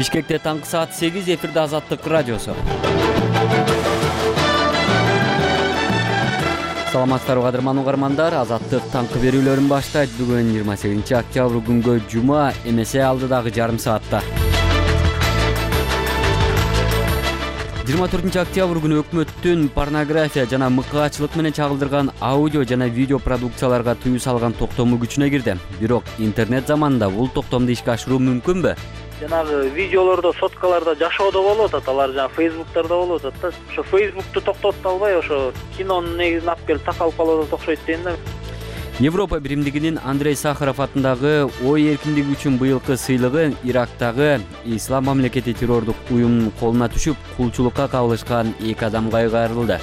Бишкекте таңкы саат 8 эфирде Азаттык радиосу. Саламатсыздарбы кадырман угармандар, Азаттык таңкы берүүлөрүн баштайт. Бүгүн 28 октябрь күнгө жума, эмесе алдыдагы жарым саатта. 24 октябрь күнү өкмөттүн порнография жана мыкаачылык менен чагылдырган аудио жана видео продукцияларга тыюу салган токтому күчүнө кирди. Бирок интернет заманында бул токтомду ишке ашыруу мүмкүнбү? Жанагы видеолордо, соткаларда жашоодо болуп атат, алар жана фейсбуктарда болуп атат да. Ошо фейсбукту токтотуп албай, ошо кинонун негизин алып келип такалып калып атат окшойт дейм да. Европа биримдигинин Андрей Сахаров атындагы ой эркиндиги үчүн быйылкы сыйлыгы Ирактагы Ислам мамлекети террордук уюмунун колуна түшүп, кулчулукка кабылышкан 2 адамга кайрылды.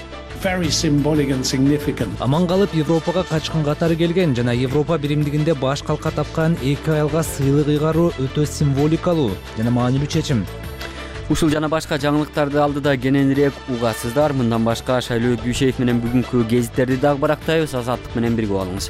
Аман калып Европага качкан катары келген жана Европа биримдигинде баш калка тапкан 2 айылга сыйлык ыйгаруу өтө символикалуу жана маанилүү чечим. Ушул жана башка жаңылыктарды алдыда кененирээк угасыздар. Мындан башка Шайлоо Күйшеев менен бүгүнкү гезиттерди дагы барактайбыз. Азаттык менен бирге болуңуз.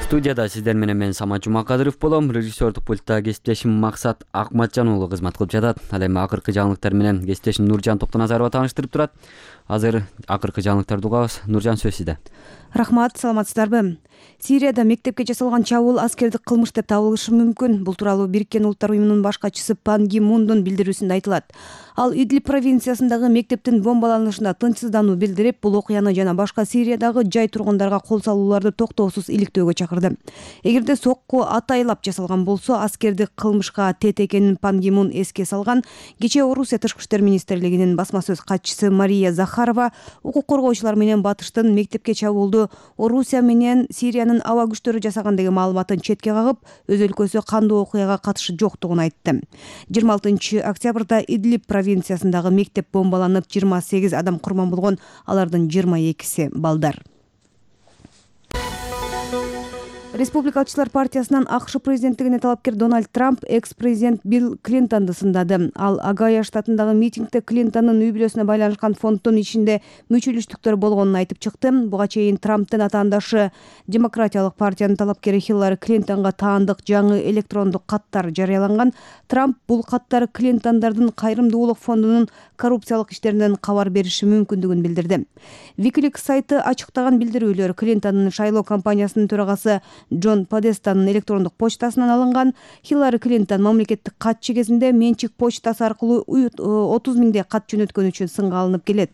Студияда сиздер менен мен Самат Жумакадыров болом. Режиссердук пультта кесиптешим Максат Акматжан уулу кызмат кылып жатат. Ал эми акыркы жаңылыктар менен кесиптешим Нуржан Токтоназарова тааныштырып турат. Азыр акыркы жаңылыктарды угабыз. Нуржан, сөз сизде. Рахмат, саламатсыздарбы? Сирияда мектепке жасалган чабуул аскердик кылмыш деп табылышы мүмкүн. Бул тууралуу Бириккен Улуттар уюмунун баш катчысы Пан Ги Мундун билдирүүсүндө айтылат. Ал Идлиб провинциясындагы мектептин бомбаланышына тынчсыздануу билдирип, бул окуяны жана башка Сириядагы жай тургундарга кол салууларды токтоосуз иликтөөгө чакырды. Эгерде сокку атайлап жасалган болсо, аскердик кылмышка тет экенин Пан Ги Мун эске салган. Кечээ Орусия Тышкы иштер министрлигинин басма сөз катчысы Мария Захарова укук коргоочулар менен батыштын мектепке чабуулду Орусия менен Сириянын аба күчтөрү жасаган деген маалыматын четке кагып, өз өлкөсү кандуу окуяга катышы жоктугун айтты. 26 октябрда Идлиб провинциясындагы мектеп бомбаланып, 28 адам курман болгон, алардын 22си балдар. Республикачылар партиясынан АКШ президенттигине талапкер Дональд Трамп экс-президент Билл Клинтонду сындады. Ал Огайо штатындагы митингде Клинтондун үй бүлөсүнө байланышкан фонддун ичинде мүчөлүштүктөр болгонун айтып чыкты. Буга чейин Трамптын атаандашы Демократиялык партиянын талапкери Хиллари Клинтонго таандык жаңы электрондук каттар жарыяланган. Трамп бул каттар Клинтондордун кайрымдуулук фондунун коррупциялык иштеринен кабар бериши мүмкүндүгүн билдирди. Wikileaks сайты ачыктаган билдирүүлөр Клинтондун шайлоо кампаниясынын төрагасы Джон Подестанын электрондук почтасынан алынган. Хиллари Клинтон мамлекеттик катчы кезинде менчик почтасы аркылуу 30 миңдей кат жөнөткөн үчүн сынга алынып келет.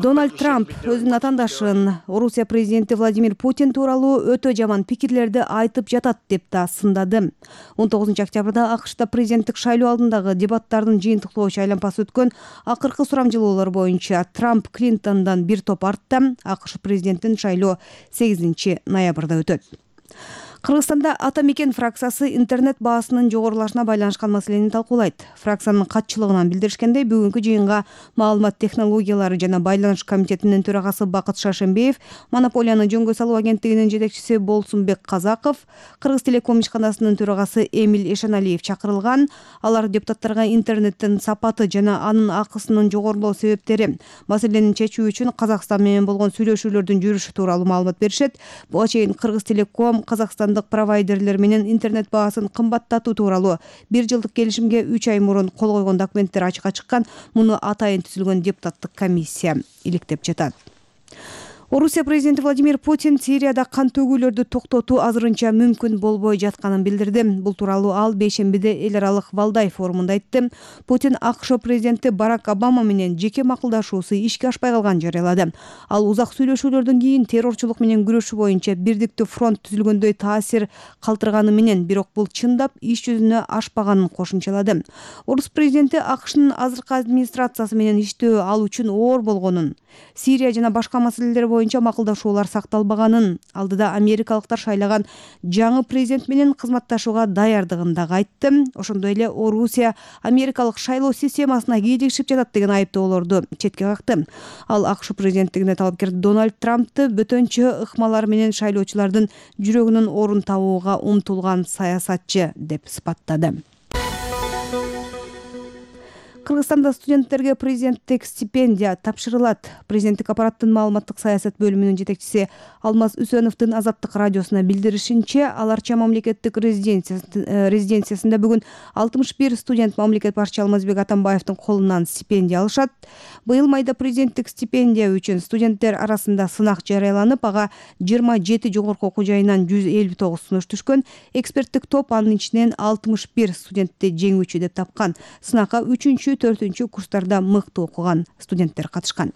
Дональд Трамп өзүнүн атаандашын Орусия президенти Владимир Путин тууралуу өтө жаман пикирлерди айтып жатат деп да сындады. 19 октябрда АКШда президенттик шайлоо алдындагы дебаттардын жыйынтыктоочу айланпасы өткөн. Акыркы сурамжылоолор боюнча Трамп Клинтондан бир топ артта. АКШ президентин шайлоо 8 ноябрда өтөт. Кыргызстанда Ата Мекен фракциясы интернет баасынын жогорулашына байланышкан маселени талкуулайт. Фракциянын катчылыгынан билдиришкендей, бүгүнкү жыйынга маалымат технологиялары жана байланыш комитетинин төрагасы Бакыт Шашембеев, монополияны жөнгө салуу агенттигинин жетекчиси Болсунбек Казаков, Кыргыз Телеком ишканасынын төрагасы Эмиль Эшеналиев чакырылган. Алар депутаттарга интернеттин сапаты жана анын акысынын жогорулоо себептери, маселени чечүү үчүн Казакстан менен болгон сүйлөшүүлөрдүн жүрүшү тууралуу маалымат беришет. Буга чейин Кыргыз Телеком Казакстандык провайдерлер менен интернет баасын кымбаттатуу тууралуу 1 жылдык келишимге 3 ай мурун кол койгон документтер ачыкка чыккан. Муну атайын түзүлгөн депутаттык комиссия иликтеп жатат. Орусия президенти Владимир Путин Сирияда кан төгүүлөрдү токтотуу азырынча мүмкүн болбой жатканын билдирди. Бул тууралуу ал бейшембиде эл аралык Валдай форумунда айтты. Путин АКШ президенти Барак Обама менен жеке макулдашуусу ишке ашпай калганын жарыялады. Ал узак сүйлөшүүлөрдөн кийин террорчулук менен күрөшүү боюнча бирдиктүү фронт түзүлгөндөй таасир калтырганы менен, бирок бул чындап иш жүзүнө ашпаганын кошумчалады. Орус президенти АКШнын азыркы администрациясы менен иштөө ал үчүн оор болгонун, Сирия жана башка маселелер боюнча макулдашуулар сакталбаганын, алдыда америкалыктар шайлаган жаңы президент менен кызматташууга даярдыгын дагы айтты. Ошондой эле Орусия америкалык шайлоо системасына кийлигишип жатат деген айыптоолорду четке какты. Ал АКШ президенттигине талапкер Дональд Трампты бөтөнчө ыкмалар менен шайлоочулардын жүрөгүнүн орун табууга умтулган саясатчы деп сыпаттады. Кыргызстанда студенттерге президенттик стипендия тапшырылат. Президенттик аппараттын маалыматтык саясат бөлүмүнүн жетекчиси Алмаз Үсөновдун Азаттык радиосуна билдиришинче, Аларча мамлекеттик резиденциясында бүгүн 61 студент мамлекет башчы Алмазбек Атамбаевдин колунан стипендия алышат. Быйыл майда президенттик стипендия үчүн студенттер арасында сынак жарыяланып, ага 27 жогорку окуу жайынан 159 сунуш түшкөн. Эксперттик топ анын ичинен 61 студентти жеңүүчү деп тапкан. Сынакка 3-4 курстарда мыкты окуган студенттер катышкан.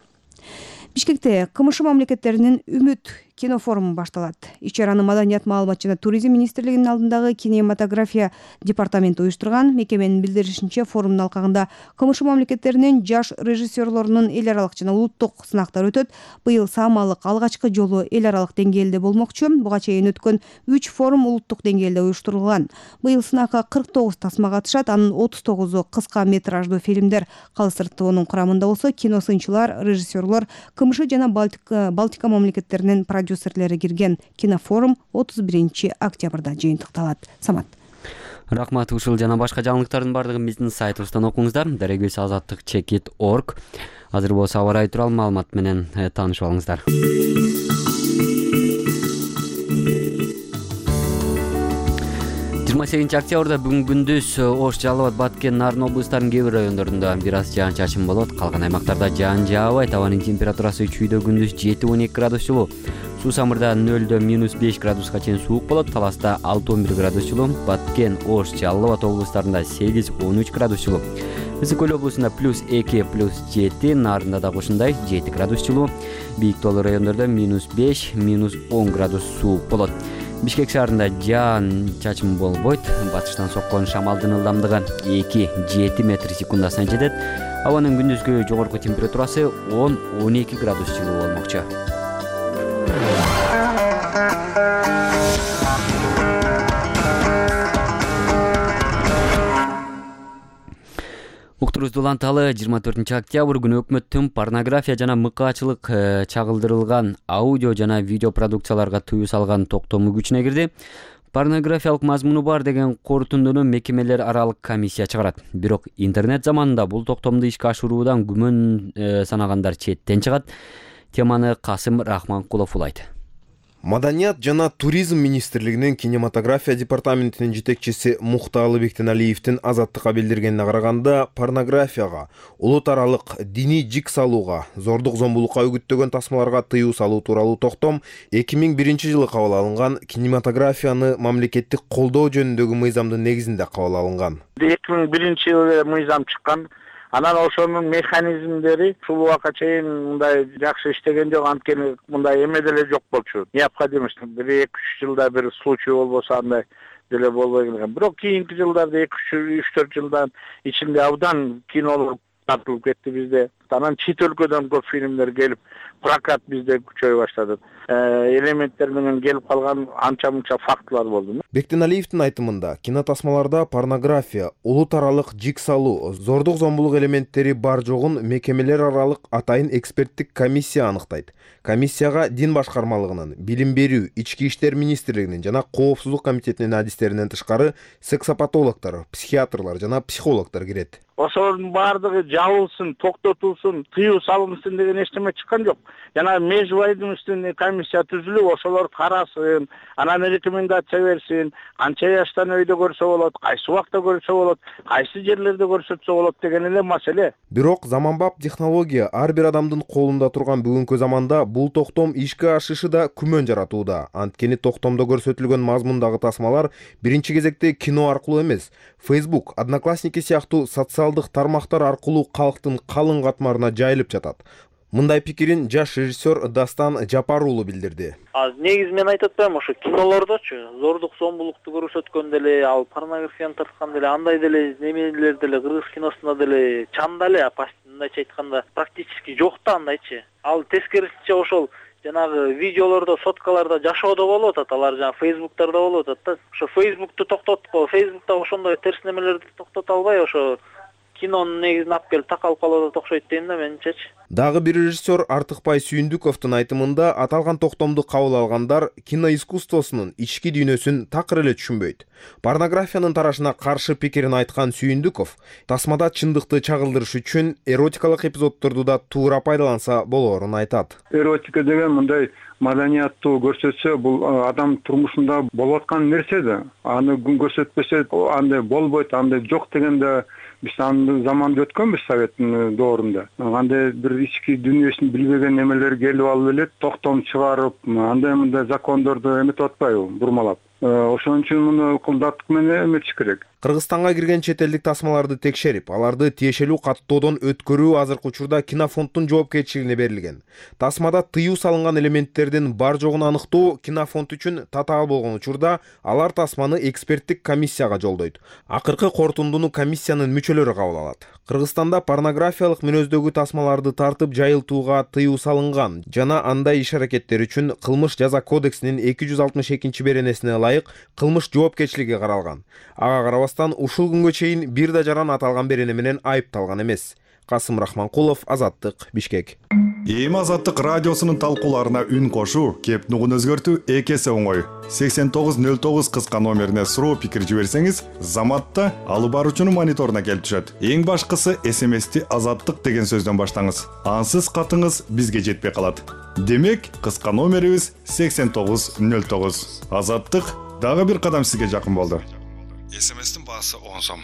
Бишкекте КМШ мамлекеттеринин Үмүт кинофоруму башталат. Иш-чараны Маданият, маалымат жана туризм министрлигинин алдындагы кинематография департаменти уюштурган. Мекеменин билдиришинче, форумдун алкагында КМШ мамлекеттеринин жаш режиссерлорунун эл аралык жана улуттук сынактары өтөт. Быйыл Самалык алгачкы жолу эл аралык деңгээлде болмокчу. Буга чейин өткөн 3 форум улуттук деңгээлде уюштурулган. Быйыл сынакка 49 тасма катышат. Анын 39-у кыска метраждуу фильмдер. Калыс ТОнун курамында болсо киносынчылар, режиссерлор, КМШ жана Балтика мамлекеттеринин продюсерлери кирген. Кинофорум 31 октябрда жыйынтыкталат. Самат. Рахмат. Ушул жана башка жаңылыктардын бардыгын биздин сайтыбыздан окуңуздар. Дарегөз azattik.org. Азыр болсо аба ырайы тууралуу маалымат менен таанышып алыңыздар. 28 октябрда бүгүн күндүз Ош, Жалал Абад, Баткен, Нарын облустарынын кээ бир райондорунда бир аз жаан-чачын болот. Калган аймактарда жаан жаабайт. Абанын температурасы чүйдө күндүз 7-12 градус жылуу. Суусамырда 0-5 градуска чейин суук болот. Таласта 6-11 градус жылуу. Баткен, Ош, Жалал Абад облустарында 8-13 градус жылуу. Ысык көл облусунда +2, +7, Нарында да ушундай 7 градус жылуу. Бийик тоолуу райондордо -5, -10 градус суук болот. Бишкек шаарында жаан-чачын болбойт. Батыштан соккон шамалдын ылдамдыгы 2-7 метр секундасына жетет. Абанын күндүзгү жогорку температурасы 10-12 градус жылуу болмокчу. Уктуруз уланталы 24 октябрь күнү өкмөттүн порнография жана мыкаачылык чагылдырылган аудио жана видео продукцияларга тыюу салган токтому күчүнө кирди. Порнографиялык мазмуну бар деген корутундуну мекемелер аралык комиссия чыгарат. Бирок интернет заманында бул токтомду ишке ашыруудан күмөн санагандар четтен чыгат. Теманы Касым Рахманкулов улайт. Маданият жана туризм министрлигинин кинематография департаментинин жетекчиси Мухталы Бектеналиевдин Азаттыкка билдиргенине караганда, порнографияга, улут аралык диний жик салууга, зордук зомбулукка үгүттөгөн тасмаларга тыюу салуу тууралуу токтом 2001 жылы кабыл алынган кинематографияны мамлекеттик колдоо жөнүндөгү мыйзамдын негизинде кабыл алынган. 2001 жылы мыйзам чыккан. Анан ошонун механизмдери ушул убакка чейин мындай жакшы иштеген жок, анткени мындай эме деле жок болчу. Необходимость 1-2-3 жылда бир случай болбосо андай деле болбой келген. Бирок кийинки жылдарда 2-3-4 жылдан ичинде абдан кинолор тартылып кетти бизде. Анан чет өлкөдөн көп фильмдер келип, прокат бизде күчөй баштады. Элементтер менен келип калган анча-мынча фактылар болду. Бектеналиевдин айтымында, кинотасмаларда порнография, улут аралык жик салуу, зордук зомбулук элементтери бар жогун мекемелер аралык атайын эксперттик комиссия аныктайт. Комиссияга дин башкармалыгынын, билим берүү, ички иштер министрлигинин жана коопсуздук комитетинин адистеринен тышкары сексопатологдор, психиатрлар жана психологдор кирет. Ошонун баардыгы жабылсын, токтотулсун, тыюу салынсын деген эчтеме чыккан жок. Жана межвайдумственный комиссия түзүлүп, ошолор карасын, анан рекомендация берсин, канча жаштан өйдө көрсө болот, кайсы убакта көрсө болот, кайсы жерлерде көрсөтсө болот деген эле маселе. Бирок заманбап технология ар бир адамдын колунда турган бүгүнкү заманда бул токтом ишке ашышы да күмөн жаратууда. Анткени токтомдо көрсөтүлгөн мазмундагы тасмалар биринчи кезекте кино аркылуу эмес, Facebook, Одноклассники сыяктуу социалдык тармактар аркылуу калктын калың катмарына жайылып жатат. Мындай пикирин жаш режиссер Дастан Жапар уулу билдирди. Негизи мен айтып атпаймынбы, ошо кинолордочу зордук зомбулукту көрсөткөн деле, ал порнографияны тарткан деле, андай деле немелер деле кыргыз киносунда деле чанда эле, мындайча айтканда практически жок да андайчы. Ал тескерисинче ошол жанагы видеолордо, соткаларда жашоодо болуп атат, алар жана Facebook'тарда болуп атат да. Ошо Facebook'ту токтотуп, Facebook'та ошондой терс немелерди токтото албай, ошо кинонун негизин алып келип такалып калып атат окшойт дейм да менимчечи. Дагы бир режиссер Артыкбай Сүйүндүковдун айтымында аталган токтомду кабыл алгандар киноискусствосунун ички дүйнөсүн такыр эле түшүнбөйт. Порнографиянын тарашына каршы пикирин айткан Сүйүндүков тасмада чындыкты чагылдырыш үчүн эротикалык эпизоддорду да туура пайдаланса болоорун айтат. Эротика деген мындай маданияттуу көрсөтсө, бул адам турмушунда болуп аткан нерсе да. Аны көрсөтпөсө андай болбойт, андай жок дегенде биз аны заманды өткөнбүз Советтин доорунда. Андай бир ички дүйнөсүн билбеген немелер келип алып эле токтом чыгарып, андай мындай закондорду эметип атпайбы, бурмалап. Ошон үчүн муну кылдаттык менен эметиш керек. Кыргызстанга кирген чет элдик тасмаларды текшерип, аларды тиешелүү каттоодон өткөрүү азыркы учурда Кинофонддун жоопкерчилигине берилген. Тасмада тыюу салынган элементтердин бар жогун аныктоо Кинофонд үчүн татаал болгон учурда алар тасманы эксперттик комиссияга жолдойт. Акыркы корутундуну комиссиянын мүчөлөрү кабыл алат. Кыргызстанда порнографиялык мүнөздөгү тасмаларды тартып жайылтууга тыюу салынган жана андай иш-аракеттер үчүн Кылмыш жаза кодексинин 262 беренесине ылайык кылмыш жоопкерчилиги каралган. Ага карабастан ушул күнгө чейин бир да жаран аталган берене менен айыпталган эмес. Касым Рахманкулов, Азаттык, Бишкек. Эми Азаттык радиосунун талкууларына үн кошуу, кеп нугун өзгөртүү эки эсе оңой. 8909 кыска номерине суроо пикир жиберсеңиз, Заматта алып баруучунун мониторуна келип түшөт. Эң башкысы СМСти Азаттык деген сөздөн баштаңыз. Ансыз катыңыз бизге жетпей калат. Демек, кыска номерибиз 8909. Азаттык дагы бир кадам сизге жакын болду. СМСтин баасы 10 сом.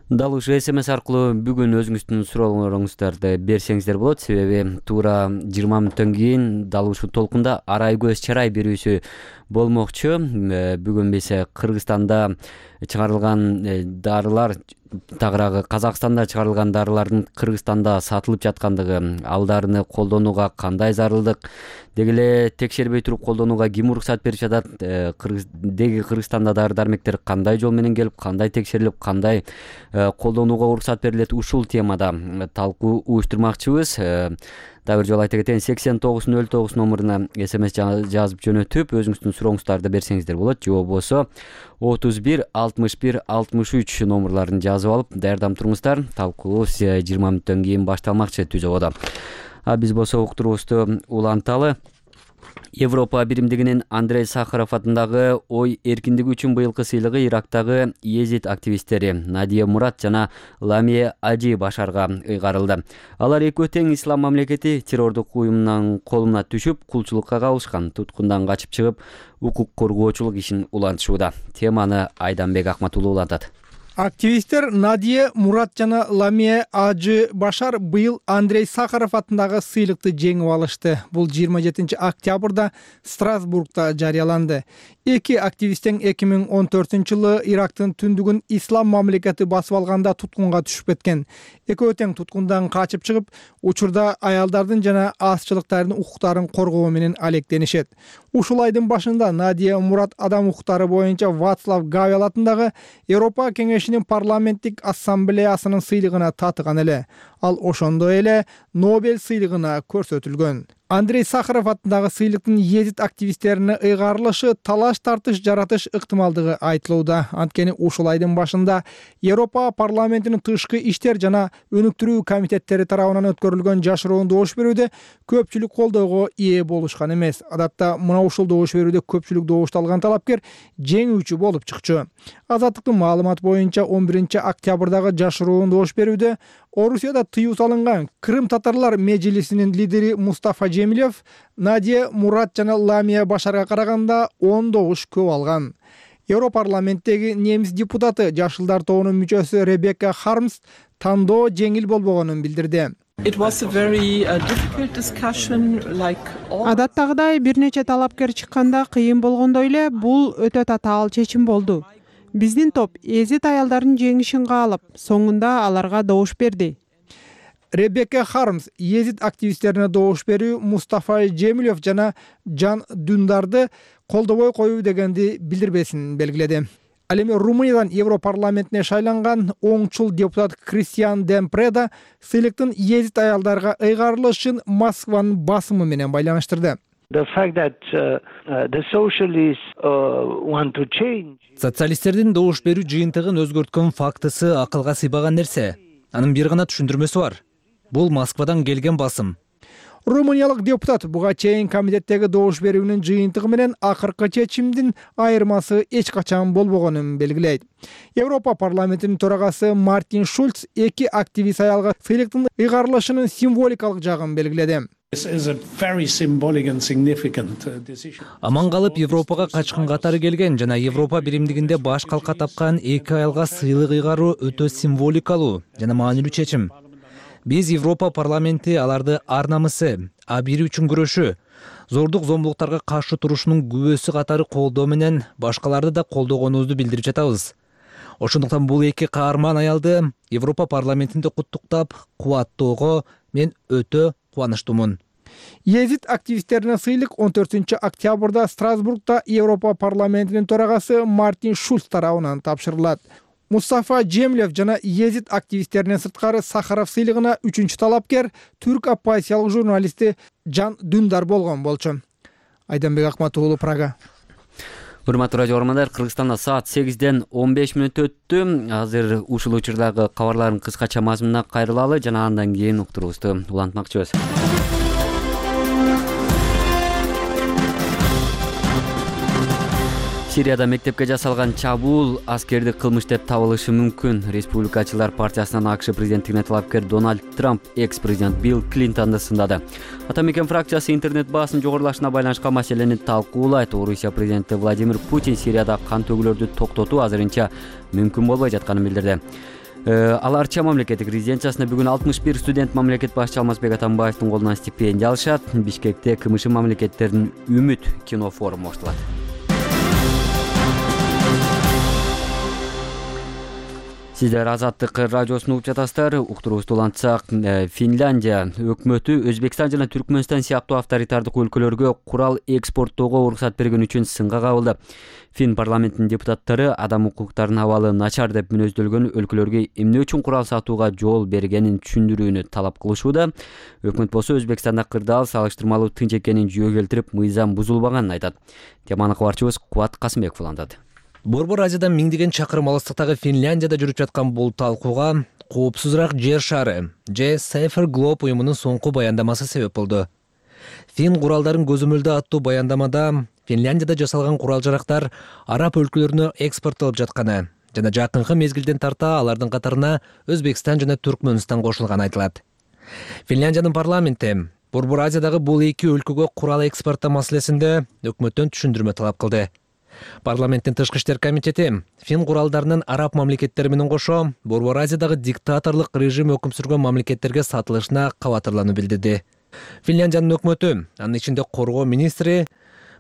Дал ушу СМС аркылуу бүгүн өзүңүздүн суроолоруңуздарды берсеңиздер болот, себеби туура 20 мүнөттөн кийин дал ушул толкунда арай көз чарай берүүсү болмокчу. Бүгүн биз Кыргызстанда чыгарылган дарылар, тагыраагы Казакстанда чыгарылган дарылардын Кыргызстанда сатылып жаткандыгы, ал дарыны колдонууга кандай зарылдык, деги эле текшербей туруп колдонууга ким уруксат берип жатат, деги Кыргызстанда дары-дармектер кандай жол менен келип, кандай текшерилип, кандай колдонууга уруксат берилет, ушул темада талкуу уюштурмакчыбыз. Дагы бир жолу айта кетейин, 8909 номуруна СМС жазып жөнөтүп, өзүңүздүн сурооңуздарды берсеңиздер болот, же болбосо 31 61 63 номурларын жазып алып, даярдап туруңуздар. Талкуу 20 мүнөттөн кийин башталмакчы Түз ободо. Биз болсо уктуруубузду уланталы. Европа биримдигинин Андрей Сахаров атындагы ой эркиндиги үчүн быйылкы сыйлыгы Ирактагы Езид активисттери Надия Мурат жана Ламия Ажи Башарга ыйгарылды. Алар экөө тең ислам мамлекети террордук уюмунун колуна түшүп, кулчулукка кабылышкан, туткундан качып чыгып, укук коргоочулук ишин улантышууда. Теманы Айданбек Акматулуу улантат. Активисттер Надия Мурат жана Ламия Ажи Башар быйыл Андрей Сахаров атындагы сыйлыкты жеңип алышты. Бул 27 октябрда Страсбургда жарыяланды. Эки активисттен 2014-жылы Ирактын түндүгүн ислам мамлекети басып алганда туткунга түшүп кеткен. Экөө тең туткундан качып чыгып, учурда аялдардын жана азчылыктардын укуктарын коргоо менен алектенишет. Ушул айдын башында Надия Мурат адам укуктары боюнча Вацлав Гавел атындагы Европа кеңешинин парламенттик ассамблеясынын сыйлыгына татыган эле. Ал ошондой эле Нобель сыйлыгына көрсөтүлгөн. Андрей Сахаров атындагы сыйлыктын Езид активисттерине ыйгарылышы талаш тартыш жаратыш ыктымалдыгы айтылууда. Анткени ушул айдын башында Европа парламентинин тышкы иштер жана өнүктүрүү комитеттери тарабынан өткөрүлгөн жашыруун добуш берүүдө көпчүлүк колдоого ээ болушкан эмес. Адатта мына ушул добуш берүүдө көпчүлүк добушту алган талапкер жеңүүчү болуп чыкчу. Азаттыктын маалыматы боюнча 11 октябрдагы жашыруун добуш берүүдө Орусияда тыюу салынган Крым татарлар межлисинин лидери Мустафа Жемилев Надия Мурат жана Ламия Башарга караганда 10 добуш көп алган. Европарламенттеги немис депутаты Жашылдар тобунун мүчөсү Ребекка Хармс тандоо жеңил болбогонун билдирди. Адаттагыдай бир нече талапкер чыкканда кыйын болгондой эле бул өтө татаал чечим болду. Биздин топ Езид аялдарын жеңишин каалап, соңунда аларга добуш берди. Ребекка Хармс Езид активисттерине добуш берүү Мустафа Жемилев жана Жан Дундарды колдобой коюу дегенди билдирбесин белгиледи. Ал эми Румыниядан Европарламентине шайланган оңчул депутат Кристиан Демпреда сыйлыктын Езид аялдарга ыйгарылышын Москванын басымы менен байланыштырды. Социалисттердин добуш берүү жыйынтыгын өзгөрткөн фактысы акылга сыйбаган нерсе. Анын бир гана түшүндүрмөсү бар. Бул Москвадан келген басым. Румыниялык депутат буга чейин комитеттеги добуш берүүнүн жыйынтыгы менен акыркы чечимдин айырмасы эч качан болбогонун белгилейт. Европа парламентинин төрагасы Мартин Шульц эки активист аялга сыйлыктын ыйгарылышынын символикалык жагын белгиледи. Аман калып Европага качкын катары келген жана Европа биримдигинде баш калка тапкан эки аялга сыйлык ыйгаруу өтө символикалуу жана маанилүү чечим. Биз Европа парламенти аларды ар намысы, абийири үчүн күрөшүү, зордук зомбулуктарга каршы турушунун күбөсү катары колдоо менен башкаларды да колдогонубузду билдирип жатабыз. Ошондуктан бул эки каарман аялды Европа парламентинде куттуктап, кубаттоого мен өтө кубанычтуумун. Езид активисттерине сыйлык 14 октябрда Страсбургда Европа парламентинин төрагасы Мартин Шульц тарабынан тапшырылат. Мустафа Джемлев жана Езид активисттеринен сырткары Сахаров сыйлыгына 3-чү талапкер түрк оппозициялык журналисти Жан Дүндар болгон болчу. Айданбек Акмат уулу, Прага. Урматтуу радио көрөрмандар, Кыргызстанда саат 8-ден 15 мүнөт өттү. Азыр ушул учурдагы кабарлардын кыскача мазмунуна кайрылалы жана андан кийин уктуруубузду улантмакчыбыз. Сирияда мектепке жасалган чабуул аскердик кылмыш деп табылышы мүмкүн. Республикачылар партиясынан АКШ президенттигине талапкер Дональд Трамп экс-президент Билл Клинтонду сындады. Ата мекен фракциясы интернет баасынын жогорулашына байланышкан маселени талкуулайт. Орусия президенти Владимир Путин Сирияда кан төгүүлөрдү токтотуу азырынча мүмкүн болбой жатканын билдирди. Ал Арча мамлекеттик резиденциясында бүгүн 61 студент мамлекет башчы Алмазбек Атамбаевдин колунан стипендия алышат. Бишкекте КМШ мамлекеттеринин Үмүт кино форуму оштолот. Сиздер Азаттык радиосун угуп жатасыздар. Уктуруубузду улантсак, Финляндия өкмөтү Өзбекстан жана Түркмөнстан сыяктуу авторитардык өлкөлөргө курал экспорттоого уруксат берген үчүн сынга кабылды. Фин парламентинин депутаттары адам укуктарынын абалы начар деп мүнөздөлгөн өлкөлөргө эмне үчүн курал сатууга жол бергенин түшүндүрүүнү талап кылышууда. Өкмөт болсо Өзбекстанда кырдаал салыштырмалуу тынч экенин жүйөгө келтирип, мыйзам бузулбаганын айтат. Теманы кабарчыбыз Кубат Касымбеков улантат. Борбор Азиядан миңдеген чакырым алыстыктагы Финляндияда жүрүп жаткан бул талкууга коопсузураак жер шары же Safer Globe уюмунун соңку баяндамасы себеп болду. Фин куралдарын көзөмөлдө аттуу баяндамада Финляндияда жасалган курал-жарактар араб өлкөлөрүнө экспорттолуп жатканы жана жакынкы мезгилден тарта алардын катарына Өзбекстан жана Түркмөнстан кошулганы айтылат. Финляндиянын парламенти Борбор Азиядагы бул эки өлкөгө курал экспорттоо маселесинде өкмөттөн түшүндүрмө талап кылды. Парламенттин тышкы иштер комитети Фин куралдарынын араб мамлекеттери менен кошо Борбор Азиядагы диктаторлук режим өкүм сүргөн мамлекеттерге сатылышына кабатырлануу билдирди. Финляндиянын өкмөтү, анын ичинде коргоо министри,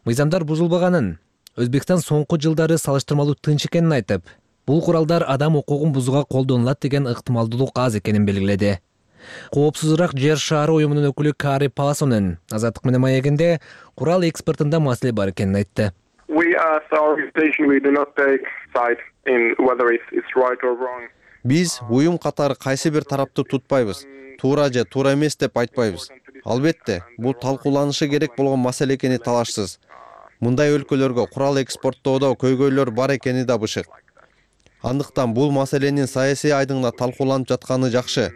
мыйзамдар бузулбаганын, Өзбекстан соңку жылдары салыштырмалуу тынч экенин айтып, бул куралдар адам укугун бузууга колдонулат деген ыктымалдуулук аз экенин белгиледи. Коопсузураак жер шаары уюмунун өкүлү Кари Паласонун Азаттык менен маегинде курал экспортунда маселе бар экенин айтты. Биз уюм катары кайсы бир тарапты тутпайбыз, туура же туура эмес деп айтпайбыз. Албетте, бул талкууланышы керек болгон маселе экени талашсыз. Мындай өлкөлөргө курал экспорттоодо көйгөйлөр бар экени да бышык. Андыктан бул маселенин саясий айдыңда талкууланып жатканы жакшы.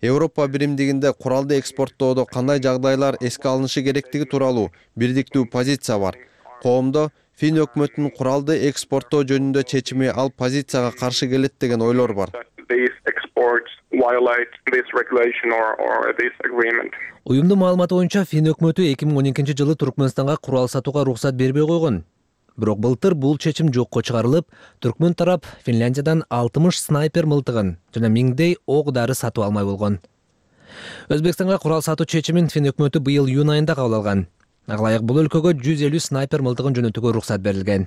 Европа биримдигинде куралды экспорттоодо кандай жагдайлар эске алынышы керектиги тууралуу бирдиктүү позиция бар. Коомдо Фин өкмөтүнүн куралды экспорттоо жөнүндө чечими ал позицияга каршы келет деген ойлор бар. Уюмдун маалыматы боюнча Фин өкмөтү 2012-жылы Түркмөнстанга курал сатууга уруксат бербей койгон. Бирок былтыр бул чечим жокко чыгарылып, Түркмөн тарап Финляндиядан 60 снайпер мылтыгын жана миңдей ок дары сатып алмай болгон. Өзбекстанга курал сатуу чечимин Фин өкмөтү быйыл июнь айында кабыл алган. Ага ылайык бул өлкөгө 150 снайпер мылтыгын жөнөтүүгө уруксат берилген.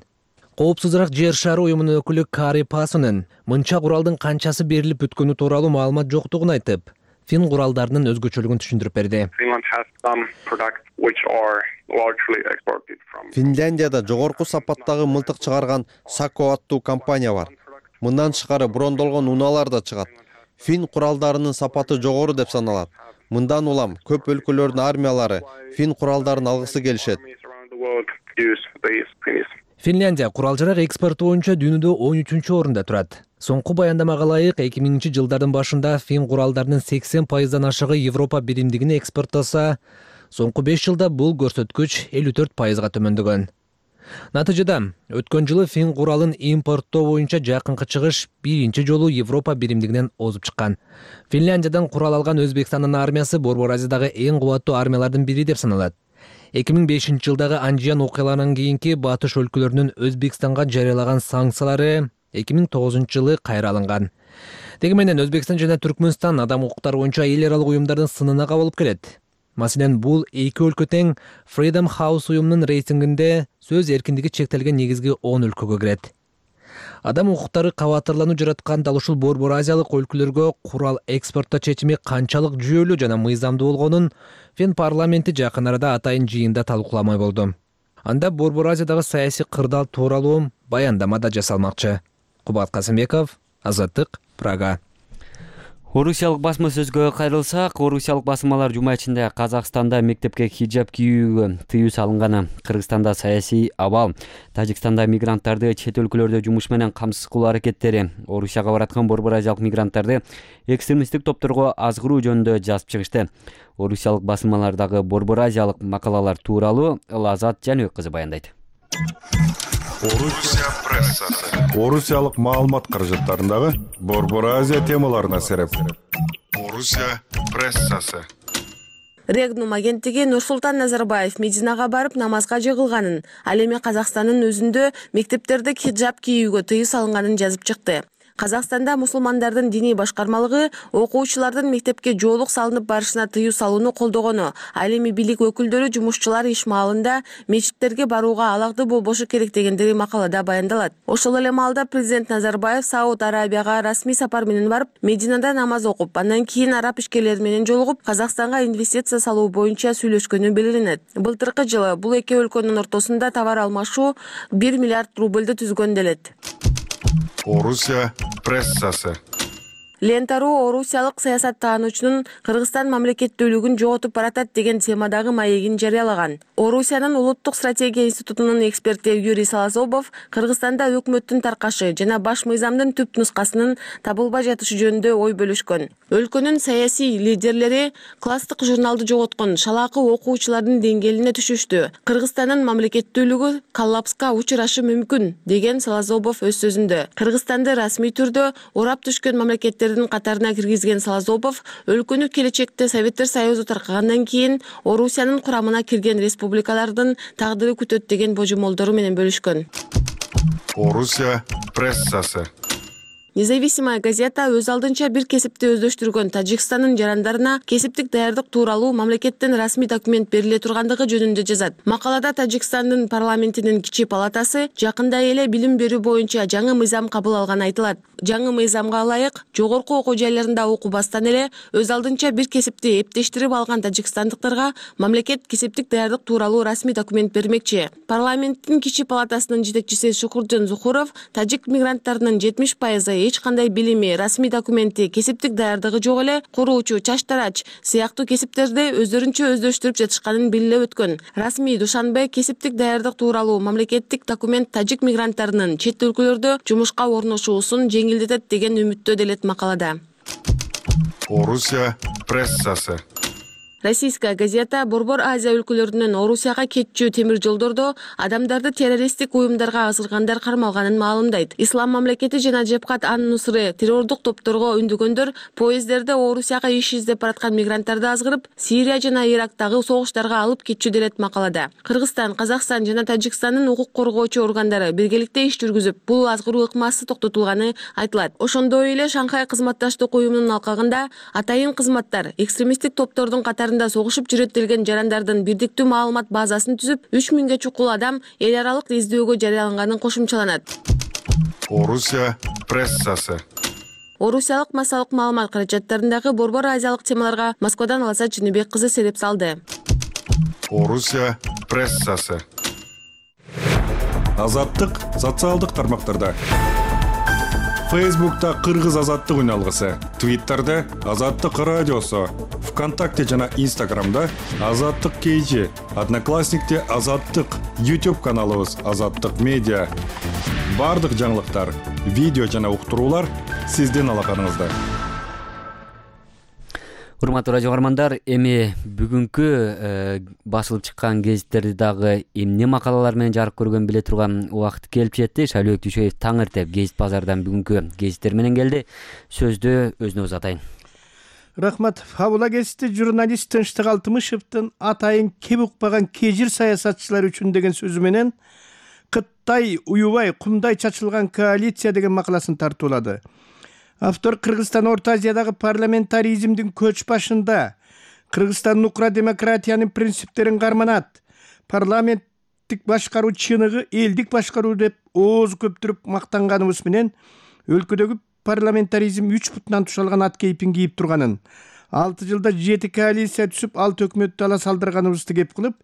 Коопсузураак жер шары уюмунун өкүлү Кари Пасонун мынча куралдын канчасы берилип бүткөнү тууралуу маалымат жоктугун айтып, Фин куралдарынын өзгөчөлүгүн түшүндүрүп берди. Финляндияда жогорку сапаттагы мылтык чыгарган Сако аттуу компания бар. Мындан тышкары брондолгон унаалар да чыгат. Фин куралдарынын сапаты жогору деп саналат. Мындан улам көп өлкөлөрдүн армиялары Фин куралдарын алгысы келишет. Финляндия курал-жарак экспорту боюнча дүйнөдө 13-орунда турат. Соңку баяндамага ылайык 2000-жылдардын башында фин куралдарынын 80%дан ашыгы Европа биримдигине экспортталса, соңку 5 жылда бул көрсөткүч 54%га төмөндөгөн. Натыйжада өткөн жылы фин куралын импорттоо боюнча жакынкы чыгыш биринчи жолу Европа биримдигинен озуп чыккан. Финляндиядан курал алган Өзбекстандын армиясы Борбор Азиядагы эң кубаттуу армиялардын бири деп саналат. 2005-жылдагы Анжиян окуяларынан кийинки батыш өлкөлөрүнүн Өзбекстанга жарыялаган санкциялары 2009-жылы кайра алынган. Деги менен Өзбекстан жана Түркмөнстан адам укуктары боюнча эл аралык уюмдардын сынына кабылып келет. Маселен, бул эки өлкө тең Freedom House уюмунун рейтингинде сөз эркиндиги чектелген негизги 10 өлкөгө кирет. Адам укуктары кабатырлануу жараткан дал ушул Борбор Азиялык өлкөлөргө курал экспорттоо чечими канчалык жүйөлүү жана мыйзамдуу болгонун Фин парламенти жакын арада атайын жыйында талкууламай болду. Анда Борбор Азиядагы саясий кырдаал тууралуу баяндама да жасалмакчы. Кубат Касымбеков, Азаттык, Прага. Орусиялык басма сөзгө кайрылсак, орусиялык басмалар жума ичинде Казакстанда мектепке хиджаб кийүүгө тыюу салынганы, Кыргызстанда саясий абал, Тажикстанда мигранттарды чет өлкөлөрдө жумуш менен камсыз кылуу аракеттери, Орусияга бараткан Борбор Азиялык мигранттарды экстремисттик топторго азгыруу жөнүндө жазып чыгышты. Орусиялык басмалардагы Борбор Азиялык макалалар тууралуу Лазат Жаныбек кызы баяндайт. Орусия прессасы. Орусиялык маалымат каражаттарындагы Борбор Азия темаларына сереп. Орусия прессасы. Регнум агенттиги Нурсултан Назарбаев Мединага барып намазга жыгылганын, ал эми Казакстандын өзүндө мектептерде хиджаб кийүүгө тыюу салынганын жазып чыкты. Казакстанда мусулмандардын диний башкармалыгы окуучулардын мектепке жоолук салынып барышына тыюу салууну колдогону, ал эми бийлик өкүлдөрү жумушчулар иш маалында мечиттерге барууга алакты болбошу керек дегендери макалада баяндалат. Ошол эле маалда президент Назарбаев Сауд Арабияга расмий сапар менен барып, Мединада намаз окуп, андан кийин араб ишкерлери менен жолугуп, Казакстанга инвестиция салуу боюнча сүйлөшкөнү белгиленет. Былтыркы жылы бул эки өлкөнүн ортосунда товар алмашуу 1 миллиард рубльды түзгөн делет. Орусия прессасы. Лентару орусиялык саясаттаануучунун Кыргызстан мамлекеттүүлүгүн жоготуп баратат деген темадагы маегин жарыялаган. Орусиянын улуттук стратегия институтунун эксперти Юрий Салазобов Кыргызстанда өкмөттүн таркашы жана баш мыйзамдын түп нускасынын табылбай жатышы жөнүндө ой бөлүшкөн. Өлкөнүн саясий лидерлери класстык журналды жоготкон шалаакы окуучулардын деңгээлине түшүштү. Кыргызстандын мамлекеттүүлүгү коллапска учурашы мүмкүн деген Салазобов өз сөзүндө. Кыргызстанды расмий түрдө урап түшкөн мамлекеттер катарына киргизген Салазобов өлкөнү келечекте Советтер Союзу таркагандан кийин Орусиянын курамына кирген республикалардын тагдыры күтөт деген божомолдору менен бөлүшкөн. Орусия прессасы. Независимая газета өз алдынча бир кесипти өздөштүргөн Тажикстандын жарандарына кесиптик даярдык тууралуу мамлекеттен расмий документ бериле тургандыгы жөнүндө жазат. Макалада Тажикстандын парламентинин кичи палатасы жакында эле билим берүү боюнча жаңы мыйзам кабыл алганы айтылат. Жаңы мыйзамга ылайык жогорку окуу жайларында окубастан эле өз алдынча бир кесипти эптештирип алган тажикстандыктарга мамлекет кесиптик даярдык тууралуу расмий документ бермекчи. Парламенттин кичи палатасынын жетекчиси Шукуржон Зухуров тажик мигранттарынын 70% эч кандай билими, расмий документи, кесиптик даярдыгы жок эле куруучу, чачтарач сыяктуу кесиптерди өздөрүнчө өздөштүрүп жатышканын билип өткөн. Расмий Душанбе кесиптик даярдык тууралуу мамлекеттик документ тажик мигранттарынын чет өлкөлөрдө жумушка орношуусун жеңилдетет деген үмүттө делет макалада. Орусия прессасы. Российская газета Борбор Азия өлкөлөрүнөн Орусияга кетчү темир жолдордо адамдарды террористтик уюмдарга азыргандар кармалганын маалымдайт. Ислам мамлекети жана Жебхат ан-Нусры террордук топторго үндөгөндөр поездерде Орусияга иш издеп бараткан мигранттарды азгырып, Сирия жана Ирактагы согуштарга алып кетчү делет макалада. Кыргызстан, Казакстан жана Тажикстандын укук коргоочу органдары биргеликте иш жүргүзүп, бул азгыруу ыкмасы токтотулганы айтылат. Ошондой эле Шанхай кызматташтык уюмунун алкагында атайын кызматтар экстремисттик топтордун катарында согушуп жүрөт делген жарандардын бирдиктүү маалымат базасын түзүп, 3000ге чукул адам эл аралык издөөгө жарыяланганын кошумчаланат. Орусия прессасы. Орусиялык массалык маалымат каражаттарындагы Борбор Азиялык темаларга Москвадан Лазат Жаныбек кызы сереп салды. Орусия прессасы. Азаттык социалдык тармактарда. Фейсбукта Кыргыз азаттык үн алгысы, Твиттерде Азаттык радиосу, ВКонтакте жана Инстаграмда Азаттык KG, Одноклассникте Азаттык, YouTube каналыбыз Азаттык Медиа. Бардык жаңылыктар, видео жана уктуруулар сиздин алаканыңызда. Урматтуу радио каармандар, эми бүгүнкү басылып чыккан гезиттерди дагы эмне макалалар менен жарык көргөн биле турган убакыт келип жетти. Шайлообек Дүйшөев таң эртеп гезит базардан бүгүнкү гезиттер менен келди. Сөздү өзүнө узатайын. Рахмат. Фабула гезити журналист Тынчтык Алтымышевдин атайын кеп укпаган кежир саясатчылар үчүн деген сөзү менен Кытай уюбай кумдай чачылган коалиция деген макаласын тартуулады. Автор Кыргызстан Орто Азиядагы парламентаризмдин көч башында Кыргызстандын укра демократиянын принциптерин карманат, парламенттик башкаруу чыныгы элдик башкаруу деп ооз көптүрүп мактанганыбыз менен өлкөдөгү парламентаризм 3 бутунан тушалган ат кейпин кийип турганын, 6 жылда 7 коалиция түзүп, 6 өкмөттү ала салдырганыбызды кеп кылып,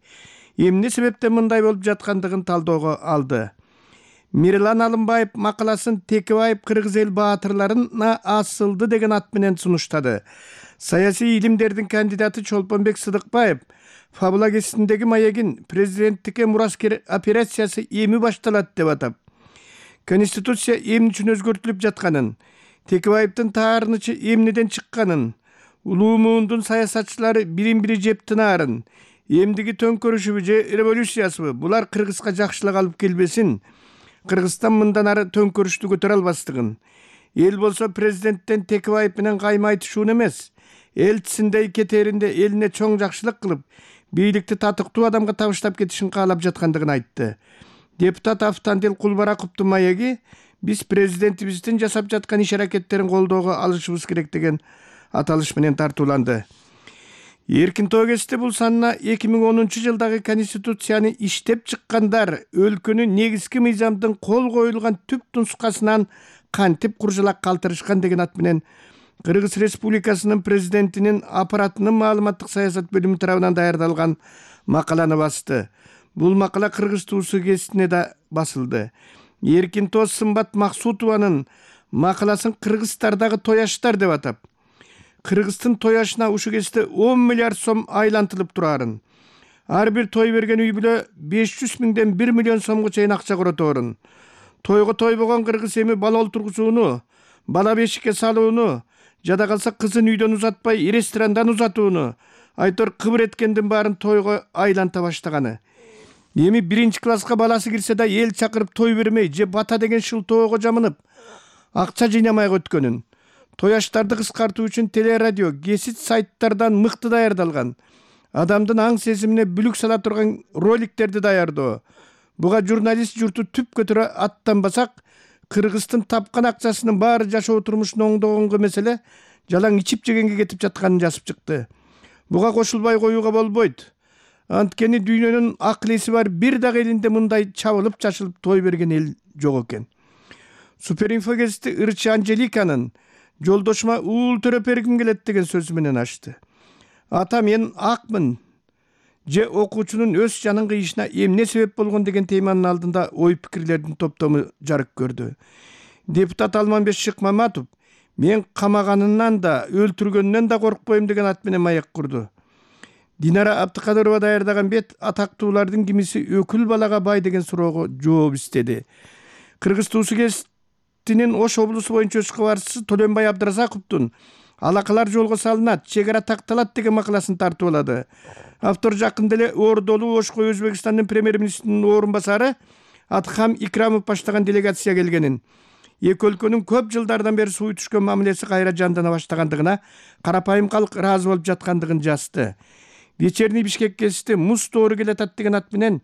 эмне себептен мындай болуп жаткандыгын талоого алды. Мирлан Алымбаев макаласын Текебаев кыргыз эл баатырларына асылды деген ат менен сунуштады. Саясий илимдердин кандидаты Чолпонбек Сыдыкбаев Фабула гезитиндеги маегин президенттикке мураскер операциясы эми башталат деп атап, Конституция эмне үчүн өзгөртүлүп жатканын, Текебаевдин таарынычы эмнеден чыкканын, улуу муундун саясатчылары бирин-бири жеп тынаарын, эмдиги төңкөрүшүбү же революциясыбы булар Кыргызга жакшылык алып келбесин, Кыргызстан мындан ары төңкөрүштү көтөрө албастыгын, эл болсо президенттен Текебаев менен кайма айтышуун эмес, элчисиндей кетээринде элине чоң жакшылык кылып, бийликти татыктуу адамга табыштап кетишин каалап жаткандыгын айтты. Депутат Автандил Кулбараковдун маеги биз президентибиздин жасап жаткан иш-аракеттерин колдоого алышыбыз керек деген аталыш менен тартууланды. Эркин Тоо гезити бул санына 2010-жылдагы Конституцияны иштеп чыккандар өлкөнүн негизги мыйзамдын кол коюлган түп нускасынан кантип куржалак калтырышкан деген ат менен Кыргыз Республикасынын президентинин аппаратынын маалыматтык саясат бөлүмү тарабынан даярдалган макаланы басты. Бул макала Кыргыз туусу гезитине да басылды. Эркин Тоо Сымбат Максутованын макаласын кыргыздардагы тояштар деп атап, Кыргыздын тояшына ушу кезде 10 миллиард сом айлантылып турарын, ар бир той берген үй бүлө 500 миңден 1 миллион сомго чейин акча короторун, тойго тойбогон кыргыз эми бала олтургузууну, бала бешикке салууну, жада калса кызын үйдөн узатпай ресторандан узатууну, айтор кыбыр эткендин баарын тойго айланта баштаганы. Эми 1-класска баласы кирсе да эл чакырып той бермей же бата деген шылтоого жамынып, акча жыйнамай өткөнүн. Тояштарды кыскартуу үчүн телерадио, гезит сайттардан мыкты даярдалган, адамдын аң сезимине бүлүк сала турган роликтерди даярдоо. Буга журналист журту түп көтөрө аттанбасак, Кыргыздын тапкан акчасынын баары жашоо турмушун оңдогонго меселе жалаң ичип жегенге кетип жатканын жазып чыкты. Буга кошулбай коюуга болбойт. Анткени дүйнөнүн акыл-эси бар бир дагы элинде мындай чабылып чачылып той берген эл жок экен. Суперинфо гезити ырчы Анжеликанын жолдошума уул төрөп бергим келет деген сөзү менен ачты. Ата мен акмын же окуучунун өз жанын кыйышына эмне себеп болгон деген теманын алдында ой пикирлердин топтому жарык көрдү. Депутат Алманбек Шыкмаматов мен камаганынан да өлтүргөндөн да коркпойм деген ат менен маек курду. Динара Абдыкадырова даярдаган бет атактуулардын кимиси өкүл балага бай деген суроого жооп издеди. Кыргыз туусу гезитинин Ош облусу боюнча өз кабарчысы Төлөнбай Абдыразаковдун алакалар жолго салынат, чек ара такталат деген макаласын тартуулады. Автор жакында эле Ордолуу Ошко Өзбекстандын премьер-министринин орун басары Атхам Икрамов баштаган делегация келгенин, эки өлкөнүн көп жылдардан бери суу түшкөн мамилеси кайра жандана баштагандыгына карапайым калк ыраазы болуп жаткандыгын жазды. Вечерний Бишкек гезити муз тоору келатат деген ат менен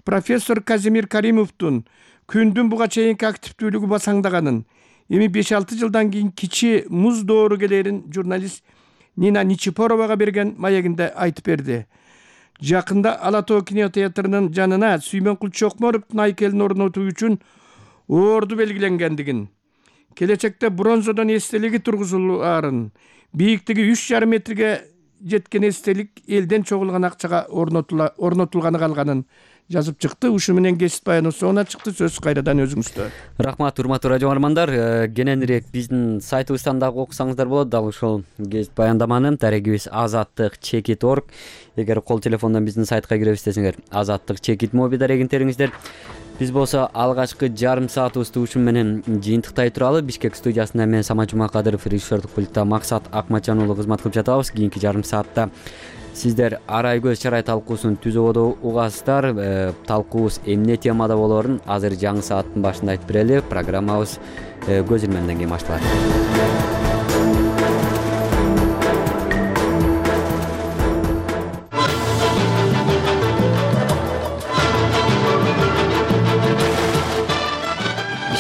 профессор Казимир Каримовдун күндүн буга чейинки активдүүлүгү басаңдаганын, эми 5-6 жылдан кийин кичи муз доору келерин журналист Нина Ничипоровага берген маегинде айтып берди. Жакында Ала Тоо кинотеатрынын жанына Сүймөнкул Чокморовдун айкелин орнотуу үчүн орду белгиленгендигин, келечекте бронзодон эстелиги тургузулаарын, бийиктиги 3,5 метрге жеткен эстелик элден чогулган акчага орнотулганы калганын жазып чыкты. Ушу менен кесип баяноо соңуна чыкты. Сөз кайрадан өзүңүздө. Рахмат, урматтуу радио угармандар. Кененирээк биздин сайтыбыздан дагы окусаңыздар болот. Дал ушул кесип баяндаманы дарегибиз azattik.chekit.org. Эгер кол телефондон биздин сайтка кире десеңер, azattik.chekit моби дарегин териңиздер. Биз болсо алгачкы жарым саатыбызды ушун менен жыйынтыктай туралы Бишкек студиясында мен Самат Жумакадыров, режиссердук пультта Максат Акматжан уулу кызмат кылып жатабыз. Кийинки жарым саатта сиздер арай көз чарай талкуусун түз ободо угасыздар. Талкуубуз эмне темада болорун азыр жаңы сааттын башында айтып берели. Программабыз көз илменден кийин башталат.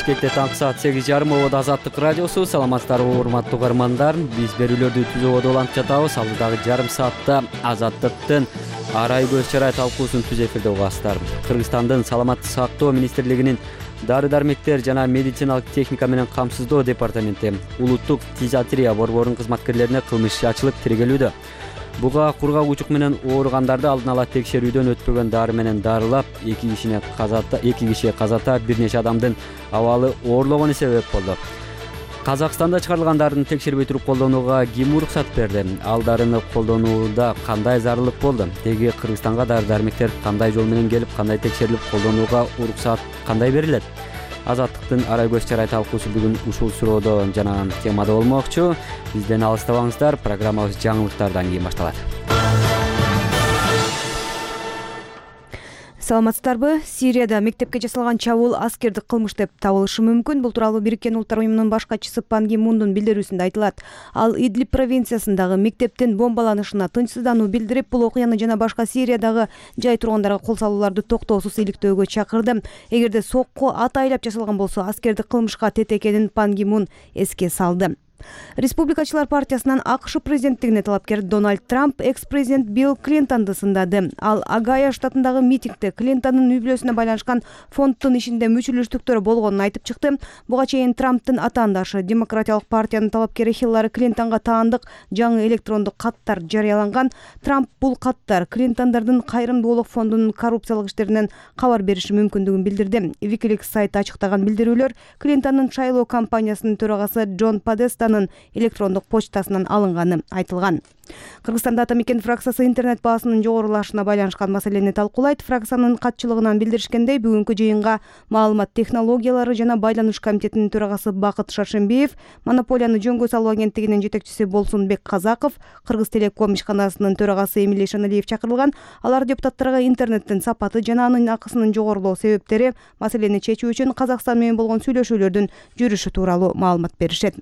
Бишкекте таңкы саат 8:30 ободо Азаттык радиосу. Саламатсыздарбы урматтуу угармандар. Биз берүүлөрдү түз ободо улантып жатабыз. Алдыдагы жарым саатта Азаттыктын арай көз чарай талкуусун түз эфирде угасыздар. Кыргызстандын саламаттык сактоо министрлигинин дары-дармектер жана медициналык техника менен камсыздоо департаменти улуттук фтизиатрия борборунун кызматкерлерине кылмыш иши ачылып тергелүүдө. Буга кургак учук менен ооругандарды алдын ала текшерүүдөн өтпөгөн дары менен дарылап, 2 киши казата, бир нече адамдын абалы оорлогону себеп болду. Казакстанда чыгарылган дарыны текшербей туруп колдонууга ким уруксат берди? Ал дарыны колдонууда кандай зарылык болду? Теги Кыргызстанга дары-дармектер кандай жол менен келип, кандай текшерилип колдонууга уруксат кандай берилет? Азаттыктын арай көз чарай талкуусу бүгүн ушул суроодо жана темада болмокчу. Бизден алыстабаңыздар. Программабыз жаңылыктардан кийин башталат. Саламатсыздарбы? Сирияда мектепке жасалган чабуул аскердик кылмыш деп табылышы мүмкүн. Бул тууралуу Бириккен Улуттар уюмунун баш катчысы Пан Ги Мундун билдирүүсүндө айтылат. Ал Идлиб провинциясындагы мектептин бомбаланышына тынчсыздануу билдирип, бул окуяны жана башка Сириядагы жай тургандарга кол салууларды токтоосуз иликтөөгө чакырды. Эгерде сокку атайлап жасалган болсо, аскердик кылмышка тет экенин Пан Ги Мун эске салды. Республикачылар партиясынан АКШ президенттигине талапкер Дональд Трамп экс-президент Билл Клинтонду сындады. Ал Огайо штатындагы митингде Клинтондун үй-бүлөсүнө байланышкан фонддун ишинде мүчөлөштүктөр болгонун айтып чыкты. Буга чейин Трамптын атаандашы Демократиялык партиянын талапкери Хиллари Клинтонго таандык жаңы электрондук каттар жарыяланган. Трамп бул каттар Клинтондордун кайрымдуулук фондунун коррупциялык иштеринен кабар бериши мүмкүндүгүн билдирди. Wikileaks сайты ачыктаган билдирүүлөр Клинтондун шайлоо кампаниясынын төрагасы Джон Подестанын электрондук почтасынан алынганы айтылган. Кыргызстанда Атамекен фракциясы интернет баасынын жогорулашына байланышкан маселени талкуулайт. Фракциянын катчылыгынан билдиришкендей, бүгүнкү жыйынга маалымат технологиялары жана байланыш комитетинин төрагасы Бакыт Шаршембиев, монополияны жөнгө салуу агенттигинин жетекчиси Болсунбек Казаков, Кыргыз Телеком ишканасынын төрагасы Эмилий Шаналиев чакырылган. Алар депутаттарга интернеттин сапаты жана анын акысынын жогорулоо себептери, маселени чечүү үчүн Казакстан менен болгон сүйлөшүүлөрдүн жүрүшү тууралуу маалымат беришет.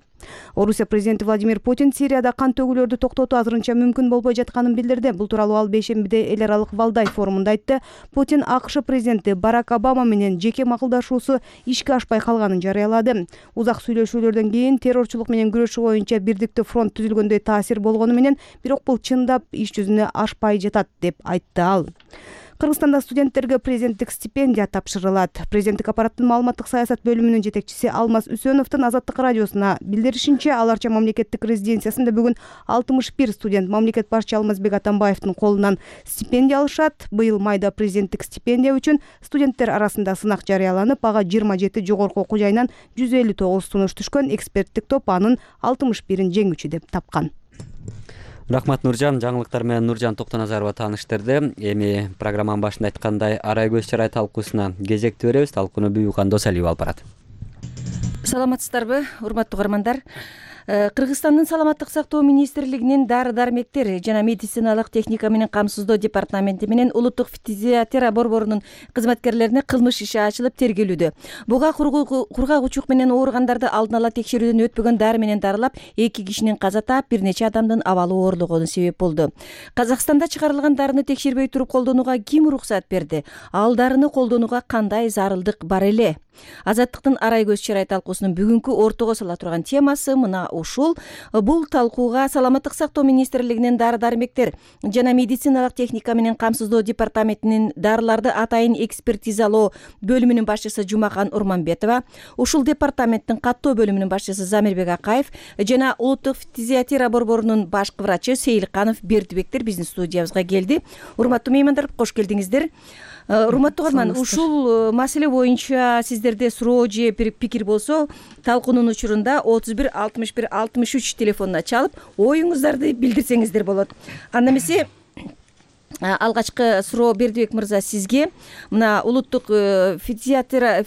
Орусия президенти Владимир Путин Сирияда кан төгүүлөрдү токтотуу азырынча мүмкүн болбой жатканын билдирди. Бул тууралуу ал бейшембиде эл аралык Валдай форумунда айтты. Путин АКШ президенти Барак Обама менен жеке макулдашуусу ишке ашпай калганын жарыялады. Узак сүйлөшүүлөрдөн кийин террорчулук менен күрөшүү боюнча бирдиктүү фронт түзүлгөндөй таасир болгону менен, бирок бул чындап иш жүзүнө ашпай жатат деп айтты ал. Кыргызстанда студенттерге президенттик стипендия тапшырылат. Президенттик аппараттын маалыматтык саясат бөлүмүнүн жетекчиси Алмаз Үсөновдун Азаттык радиосуна билдиришинче, аларча мамлекеттик резиденциясында бүгүн 61 студент мамлекет башчы Алмазбек Атамбаевдин колунан стипендия алышат. Быйыл майда президенттик стипендия үчүн студенттер арасында сынак жарыяланып, ага 27 жогорку окуу жайынан 159 сунуш түшкөн. Эксперттик топ анын 61-ин жеңүүчү деп тапкан. Рахмат Нуржан. Жаңылыктар менен Нуржан Токтоназарова тааныштырды. Эми программанын башында айткандай арай көз чарай талкуусуна кезекти беребиз. Талкууну Бүйүкан Досалиева алып барат. Саламатсыздарбы, урматтуу угармандар? Кыргызстандын саламаттык сактоо министрлигинин дары-дармектер жана медициналык техника менен камсыздоо департаменти менен улуттук фтизиатрия борборунун кызматкерлерине кылмыш иши ачылып тергелүүдө. Буга кургак учук менен ооругандарды алдын ала текшерүүдөн өтпөгөн дары менен дарылап, 2 кишинин каза таап, бир нече адамдын абалы оорлогону себеп болду. Казакстанда чыгарылган дарыны текшербей туруп колдонууга ким уруксат берди? Ал дарыны колдонууга кандай зарылдык бар эле? Азаттыктын арай көз чарай талкуусунун бүгүнкү ортого сала турган темасы мына ушул. Бул талкууга Саламаттык сактоо министрлигинин дары дармектер жана медициналык техника менен камсыздоо департаментинин дарыларды атайын экспертизалоо бөлүмүнүн башчысы Жумахан Урманбетова, ушул департаменттин каттоо бөлүмүнүн башчысы Замирбек Акаев жана улуттук фтизиатера борборунун башкы врачы Сейилканов Бердибектер биздин студиябызга келди. Урматтуу меймандар, кош келдиңиздер. Урматтуу көрман, ушул маселе боюнча сиздерде суроо же пикир болсо, талкуунун учурунда 31 61 63 телефонуна чалып, оюңуздарды билдирсеңиздер болот. Анда эмесе алгачкы суроо Бердибек мырза сизге. Мына улуттук фтизиатера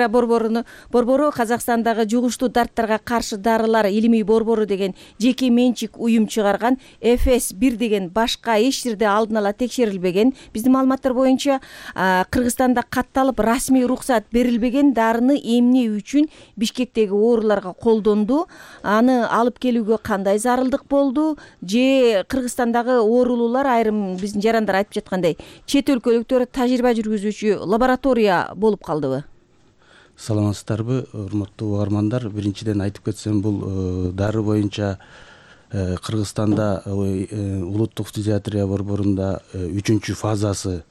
борбору Казакстандагы жугуштуу дарттарга каршы дарылар илимий борбору деген жеке менчик уюм чыгарган FS1 деген башка эч жерде алдын ала текшерилбеген, биздин маалыматтар боюнча Кыргызстанда катталып расмий уруксат берилбеген дарыны эмне үчүн Бишкектеги ооруларга колдонду? Аны алып келүүгө кандай зарылдык болду? Же Кыргызстандагы оорулуулар айрым биздин жарандар айтып жаткандай чет өлкөлүктөр тажрыйба жүргүзүүчү лаборатория болуп калдыбы? Саламатсыздарбы, урматтуу угармандар. Биринчиден айтып кетсем, бул дары боюнча Кыргызстанда улуттук фтизиатрия борборунда 3-чү фазасы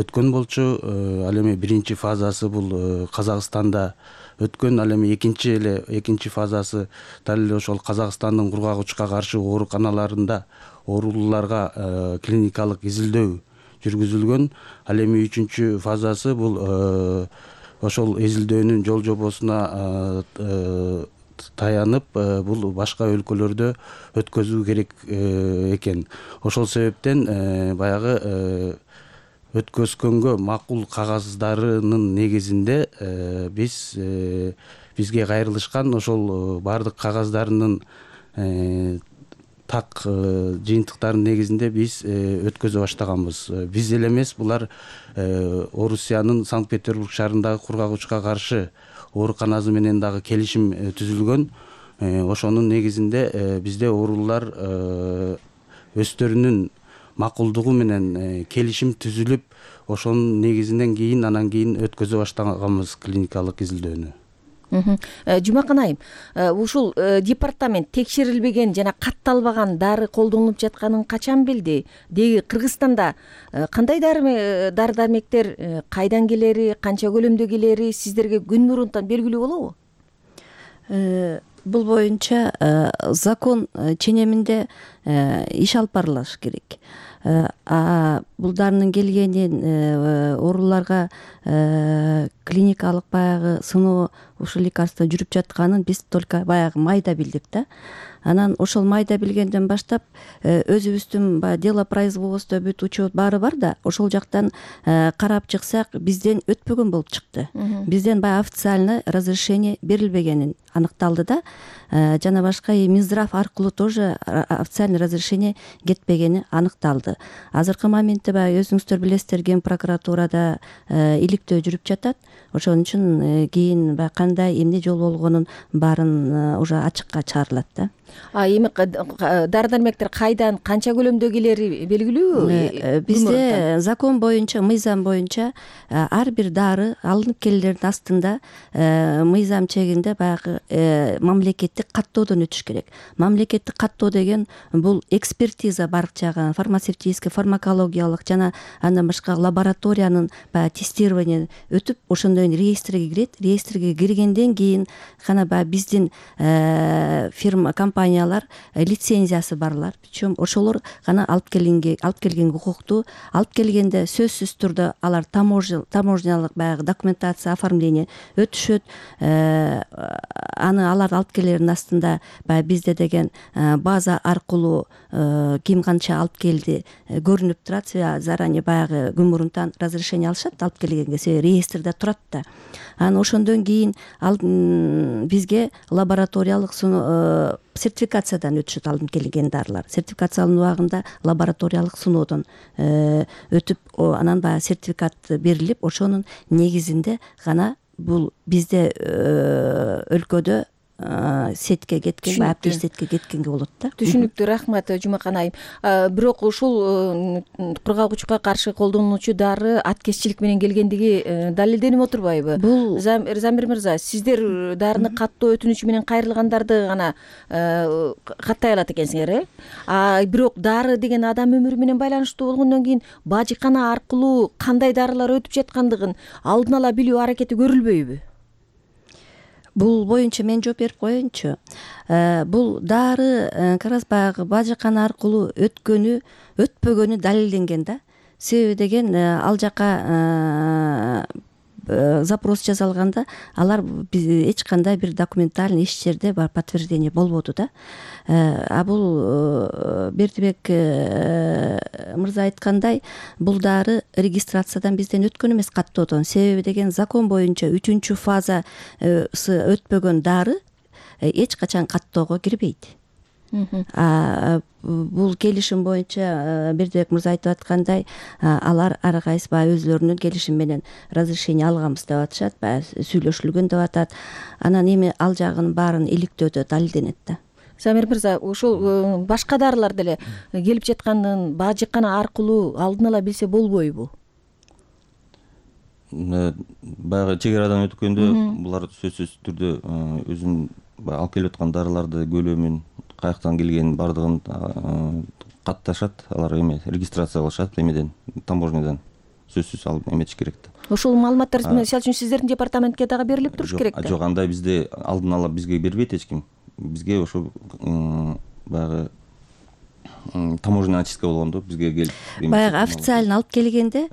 өткөн болчу. Ал эми 1-чи фазасы бул Казакстанда өткөн, ал эми экинчи фазасы дал эле ошол Казакстандын кургагычка каршы ооруканаларында оорулууларга клиникалык изилдөө жүргүзүлгөн. Ал эми 3-чү фазасы бул ошол изилдөөнүн жол жобосуна таянып, бул башка өлкөлөрдө өткөзүү керек экен. Ошол себептен баягы өткөзгөнгө макул кагаздарынын негизинде бизге кайрылышкан. Ошол баардык кагаздарынын так жыйынтыктарынын негизинде биз өткөзө баштаганбыз. Биз эле эмес, булар Орусиянын Санкт-Петербург шаарындагы кургагычка каршы ооруканасы менен дагы келишим түзүлгөн. Ошонун негизинде бизде оорулуулар өздөрүнүн макулдугу менен келишим түзүлүп, ошонун негизинен кийин анан кийин өткөзө баштаганбыз клиникалык изилдөөнү. Жумакан айым, ушул департамент текшерилбеген жана катталбаган дары колдонулуп жатканын качан билди? Деги Кыргызстанда кандай дары дармектер кайдан келери, канча көлөмдө келери сиздерге күн мурунтан белгилүү болобу? Бул боюнча закон ченеминде иш алып барылыш керек. Бул дарынын келгенин ооруларга клиникалык баягы сыноо ушул лекарство жүрүп жатканын биз только баягы майда билдик да. Анан ошол майда билгенден баштап өзүбүздүн баягы дело производство бүт учет баары бар да, ошол жактан карап чыксак бизден өтпөгөн болуп чыкты. Бизден баягы официально разрешение берилбегенин аныкталды да. Жана башка Минздрав аркылуу тоже официальный разрешение кетпегени аныкталды. Азыркы моментте баягы өзүңүздөр билесиздер, Ген прокуратурада иликтөө жүрүп жатат. Ошон үчүн кийин баягы кандай эмне жол болгонун баарын уже ачыкка чыгарылат да. Эми дары-дармектер кайдан, канча көлөмдө келери белгилүү? Бизде закон боюнча, мыйзам боюнча ар бир дары алынып келгендердин астында мыйзам чегинде баягы мамлекеттик каттоодон өтүш керек. Мамлекеттик каттоо деген бул экспертиза бар жагы, фармацевтический, фармакологиялык жана андан башка лабораториянын баягы тестирование өтүп, ошондон кийин реестрге кирет. Реестрге киргенден кийин гана баягы биздин фирма, компаниялар лицензиясы барлар. Причем ошолор гана алып келген укуктуу, алып келгенде сөзсүз түрдө алар таможнялык баягы документация, оформление өтүшөт. Аны алар алып келердин астында баягы бизде деген база аркылуу ким канча алып келди көрүнүп турат. Заранее баягы күн мурунтан разрешение алышат алып келгенге, себеби реестрде турат да. Анан ошондон кийин бизге лабораториялык сертификациядан өтүшөт алынып келген дарылар. Сертификациялануу убагында лабораториялык сыноодон өтүп, анан баягы сертификат берилип, ошонун негизинде гана бул бизде өлкөдө сетке кеткен, аптир сетке кеткенге болот да. Түшүнүктүү, рахмат Жумакан айым. Бирок ушул кургагучка каршы колдонулуучу дары аткезчилик менен келгендиги далилденип отурбайбы? Бул Замир мырза, сиздер дарыны каттоо өтүнүчү менен кайрылгандарды гана каттай алат экенсиңер, бирок дары деген адам өмүрү менен байланыштуу болгондон кийин бажыкана аркылуу кандай дарылар өтүп жаткандыгын алдын ала билүү аракети көрүлбөйбү? Бул боюнча мен жооп берип коеюнчу. Бул дары как раз баягы бажыкана аркылуу өтпөгөнү далилденген да. Себеби деген ал жака запрос жасалганда алар эч кандай бир документальный эч жерде бар подтверждение болбоду да. Бул Бердибек мырза айткандай, бул дары регистрациядан бизден өткөн эмес, каттоодон. Себеби деген закон боюнча 3-чү фазасы өтпөгөн дары эч качан каттоого кирбейт. Бул келишим боюнча Бердибек мырза айтып аткандай, алар ар кайсы баягы өзлөрүнүн келишим менен разрешение алганбыз деп атышат, баягы сүйлөшүлгөн деп атат. Анан эми ал жагын баарын иликтөөдө далилденет да. Замир мырза, ушул башка дарылар деле келип жаткандын бажыкана аркылуу алдын ала билсе болбойбу? Баягы чек арадан өткөндө булар сөзсүз түрдө өзүнүн алып келип аткан дарыларды көлөмүн, каяктан келгенин бардыгын катташат, алар регистрация кылышат эмеден, таможнядан сөзсүз алып эметиш керек да. Ушул маалыматтар мисалы үчүн сиздердин департаментке дагы берилип туруш керек да. Жок, андай бизде алдын ала бизге бербейт эч ким. Бизге ошо баягы таможенный очистка болгондо бизге келип баягы официально алып келгенде,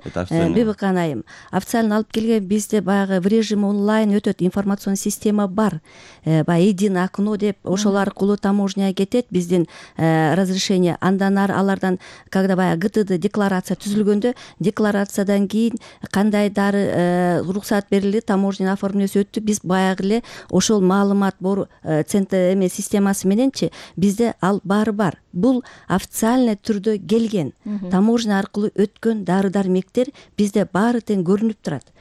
Бибикан айым, официально алып келген бизде баягы в режиме онлайн өтөт, информационный система бар. Баягы единое окно деп, ошол аркылуу таможняга кетет биздин разрешение. Андан ары алардан, когда баягы ГТД декларация түзүлгөндө, декларациядан кийин кандай дары уруксат берилди, таможня оформлөөсү өттү, биз баягы эле ошол маалымат центр системасы мененчи бизде ал баары бар. Бул официальный түрдө келген, таможня аркылуу өткөн дары-дармектер бизде баары тең көрүнүп турат.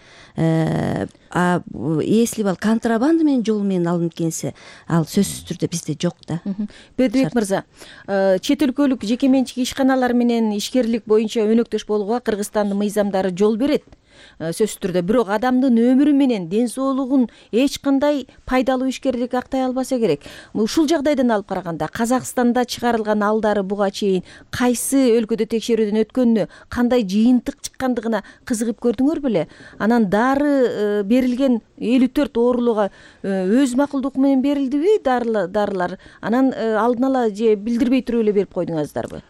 Если ал контрабанда менен жол менен алынып келсе, ал сөзсүз түрдө бизде жок да. Бердибек мырза, чет өлкөлүк жеке менчик ишканалар менен ишкерлик боюнча өнөктөш болууга Кыргызстандын мыйзамдары жол берет. Сөзсүз түрдө, бирок адамдын өмүрү менен ден соолугун эч кандай пайдалуу ишкерлик актай албаса керек. Ушул жагдайдан алып караганда Казакстанда чыгарылган ал дары буга чейин кайсы өлкөдө текшерүүдөн өткөнүнө, кандай жыйынтык чыккандыгына кызыгып көрдүңөр беле? Анан дары берилген 54 оорулууга өз макулдугу менен берилдиби дарылар? Анан алдын ала же билдирбей туруп эле берип койдуңуздарбы?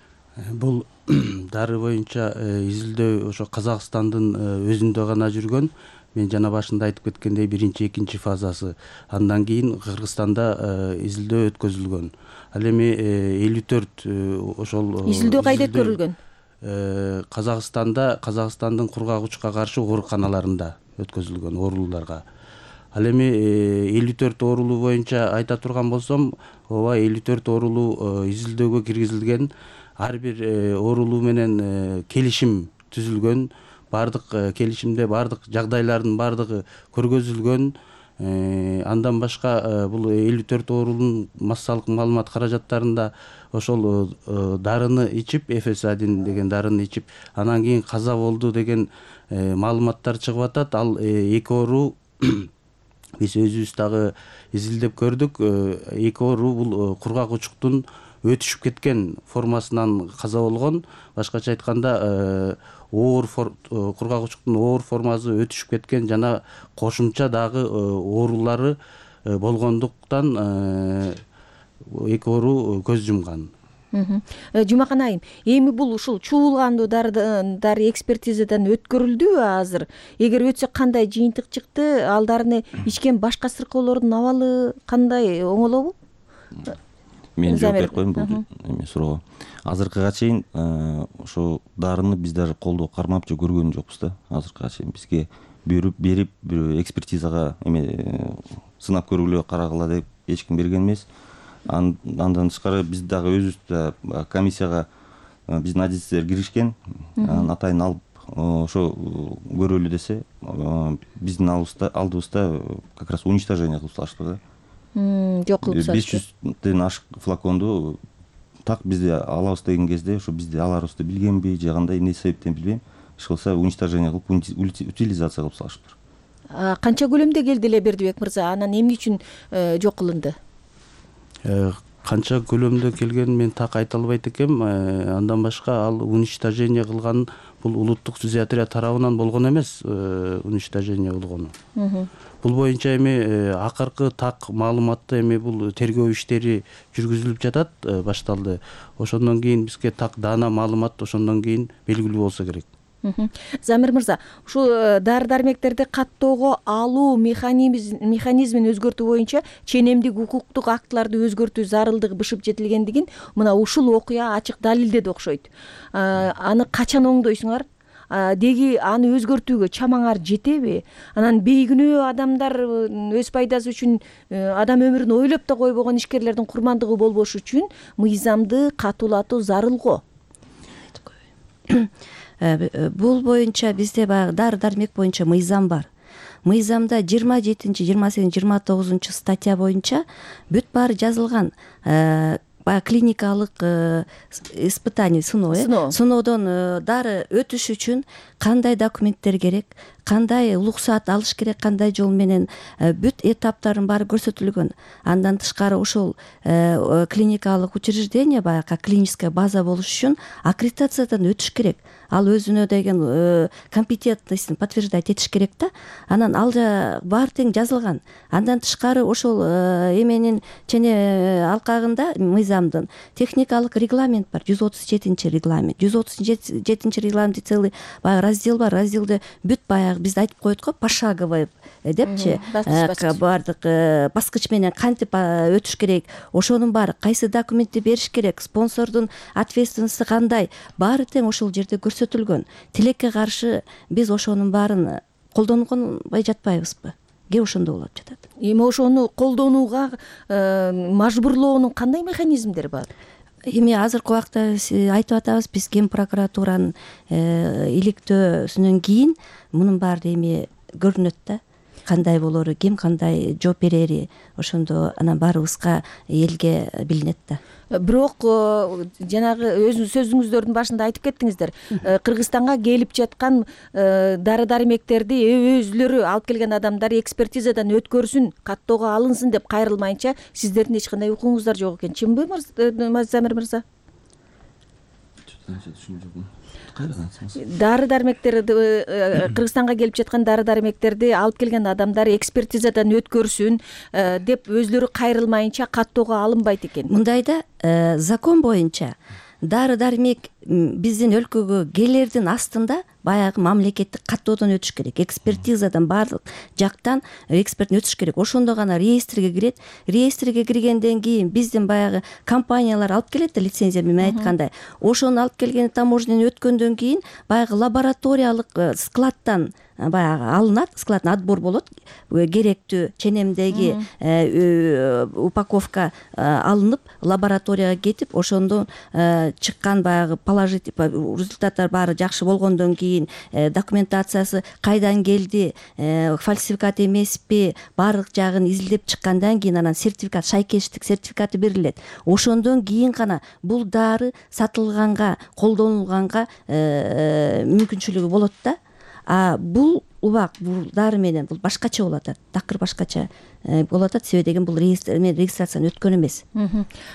Бул дары боюнча изилдөө ошо Казакстандын өзүндө гана жүргөн. Мен жана башында айтып кеткендей 1-2 фазасы. Андан кийин Кыргызстанда изилдөө өткөзүлгөн. Ал эми 54 ошол изилдөө кайда көрүлгөн? Казакстандын кургагучка каршы ооруканаларында өткөзүлгөн оорулууларга. Ал эми 54 оорулуу боюнча айта турган болсом, ооба 54 оорулуу изилдөөгө киргизилген. Ар бир оорулуу менен келишим түзүлгөн, бардык келишимде бардык жагдайлардын бардыгы көргөзүлгөн. Андан башка бул 54 оорулуунун массалык маалымат каражаттарында ошол дарыны ичип, Эфесадин деген дарыны ичип, анан кийин каза болду деген маалыматтар чыгып атат. Ал 2 оору биз өзүбүз дагы изилдеп көрдүк. 2 оору бул кургагучтун өтүшүп кеткен формасынан каза болгон. Башкача айтканда, кургагучтун оор формасы өтүшүп кеткен жана кошумча дагы оорулары болгондуктан 2 оору көз жумган. Жумакан айым, эми бул ушул чуулгандуу дары экспертизадан өткөрүлдүбү азыр? Эгер өтсө кандай жыйынтык чыкты? Ал дарыны ичкен башка сыркоолордун абалы кандай, оңолобу? Мен жооп берип коеюн бул суроого. Азыркыга чейин ошо дарыны биз даже колдоо кармап же көргөн жокпуз да. Азыркыга чейин бизге берип экспертизага сынап көргүлө, карагыла деп эч ким берген эмес. Андан тышкары биз дагы өзүбүз комиссияга биздин адистер киришкен. Атайын алып ошо көрөлү десе, биздин алдыбызда как раз уничтожение кылып салышты да. жок кылып салышты. 500ден ашык флаконду так бизде алабыз деген кезде ошо бизде аларыбызды билгенби же кандай эмне себептен билбейм, иш кылса уничтожение кылып утилизация кылып салышыптыр. Канча көлөмдө келди эле Бердибек мырза? Анан эмне үчүн жок кылынды? Канча көлөмдө келгенин мен так айта албайт экенм. Андан башка ал уничтожение кылган бул улуттук фтизиатрия тарабынан болгон эмес, уничтожение болгону. Бул боюнча эми акыркы так маалыматты эми бул тергөө иштери жүргүзүлүп жатат, башталды. Ошондон кийин бизге так даана маалымат ошондон кийин белгилүү болсо керек. Замир мырза, ушул дары-дармектерди каттоого алуу механизмин өзгөртүү боюнча ченемдик укуктук актыларды өзгөртүү зарылдыгы бышып жетилгендигин мына ушул окуя ачык далилдеди окшойт. Аны качан оңдойсуңар? Деги аны өзгөртүүгө чамаңар жетеби? Анан бейкүнөө адамдар өз пайдасы үчүн адам өмүрүн ойлоп да койбогон ишкерлердин курмандыгы болбош үчүн мыйзамды катуулатуу зарыл го. Бул боюнча бизде баягы дары-дармек боюнча мыйзам бар. Мыйзамда 27, 28, 29 статья боюнча бүт баары жазылган. Баягы клиникалык испытание, сыноодон дары өтүш үчүн кандай документтер керек, кандай уруксаат алыш керек, кандай жол менен бүт этаптарын баары көрсөтүлгөн. Андан тышкары ошол клиникалык учреждение, баягы клиническая база болуш үчүн аккредитациядан өтүш керек. Ал өзүнө деген компетентностьун подтверждать этиш керек да. Анан ал баары тең жазылган. Андан тышкары ошол эменин алкагында мыйзамдын техникалык регламент бар, 137 регламент. 137 регламентте целый баягы раздел бар. Разделде бүт баягы бизде айтып коет го, пошаговый депчи, баардык баскыч менен кантип өтүш керек, ошонун баары кайсы документти бериш керек, спонсордун ответственности кандай, баары тең ошол жерде көрсөтүлгөн. Тилекке каршы биз ошонун баарын колдонбай жатпайбызбы? Ге ошондо болуп жатат. Эми ошону колдонууга мажбурлоонун кандай механизмдери бар? Эми азыркы убакта айтып атабыз, биз Ген прокуратуранын иликтөөсүнөн кийин мунун баары эми көрүнөт да. Кандай болору, ким кандай жооп берери, ошондо анан баарыбызга элге билинет да. Бирок жанагы өзүңүз сөзүңүздөрдүн башында айтып кеттиңиздер, Кыргызстанга келип жаткан дары-дармектерди өзүлөрү алып келген адамдар экспертизадан өткөрсүн, каттоого алынсын деп кайрылмайынча сиздердин эч кандай укугуңуздар жок экен. Чынбы, Замир мырза? Дары-дармектерди, Кыргызстанга келип жаткан дары-дармектерди алып келген адамдар экспертизадан өткөрсүн деп өзүлөрү кайрылмайынча каттоого алынбайт экен. Мындайда закон боюнча дары-дармек биздин өлкөгө келердин астында баягы мамлекеттик каттоодон өтүш керек. Экспертизадан баардык жактан эксперттен өтүш керек. Ошондо гана реестрге кирет. Реестрге киргенден кийин биздин баягы компаниялар алып келет да, лицензия менен айткандай. Ошону алып келген таможняны өткөндөн кийин баягы лабораториялык складтан баягы алынат, складтан отбор болот. Керектүү ченемдеги упаковка алынып, лабораторияга кетип, ошондон чыккан баягы положительный результаттар баары жакшы болгондон кийин документациясы кайдан келди, фальсификат эмеспи, баардык жагын изилдеп чыккандан кийин анан сертификат, шайкештик сертификаты берилет. Ошондон кийин гана бул дары сатылганга, колдонулганга мүмкүнчүлүгү болот да. Бул убак бул дары менен бул башкача болуп атат. Такыр башкача болуп атат, себеби деген бул регистрацияны өткөн эмес.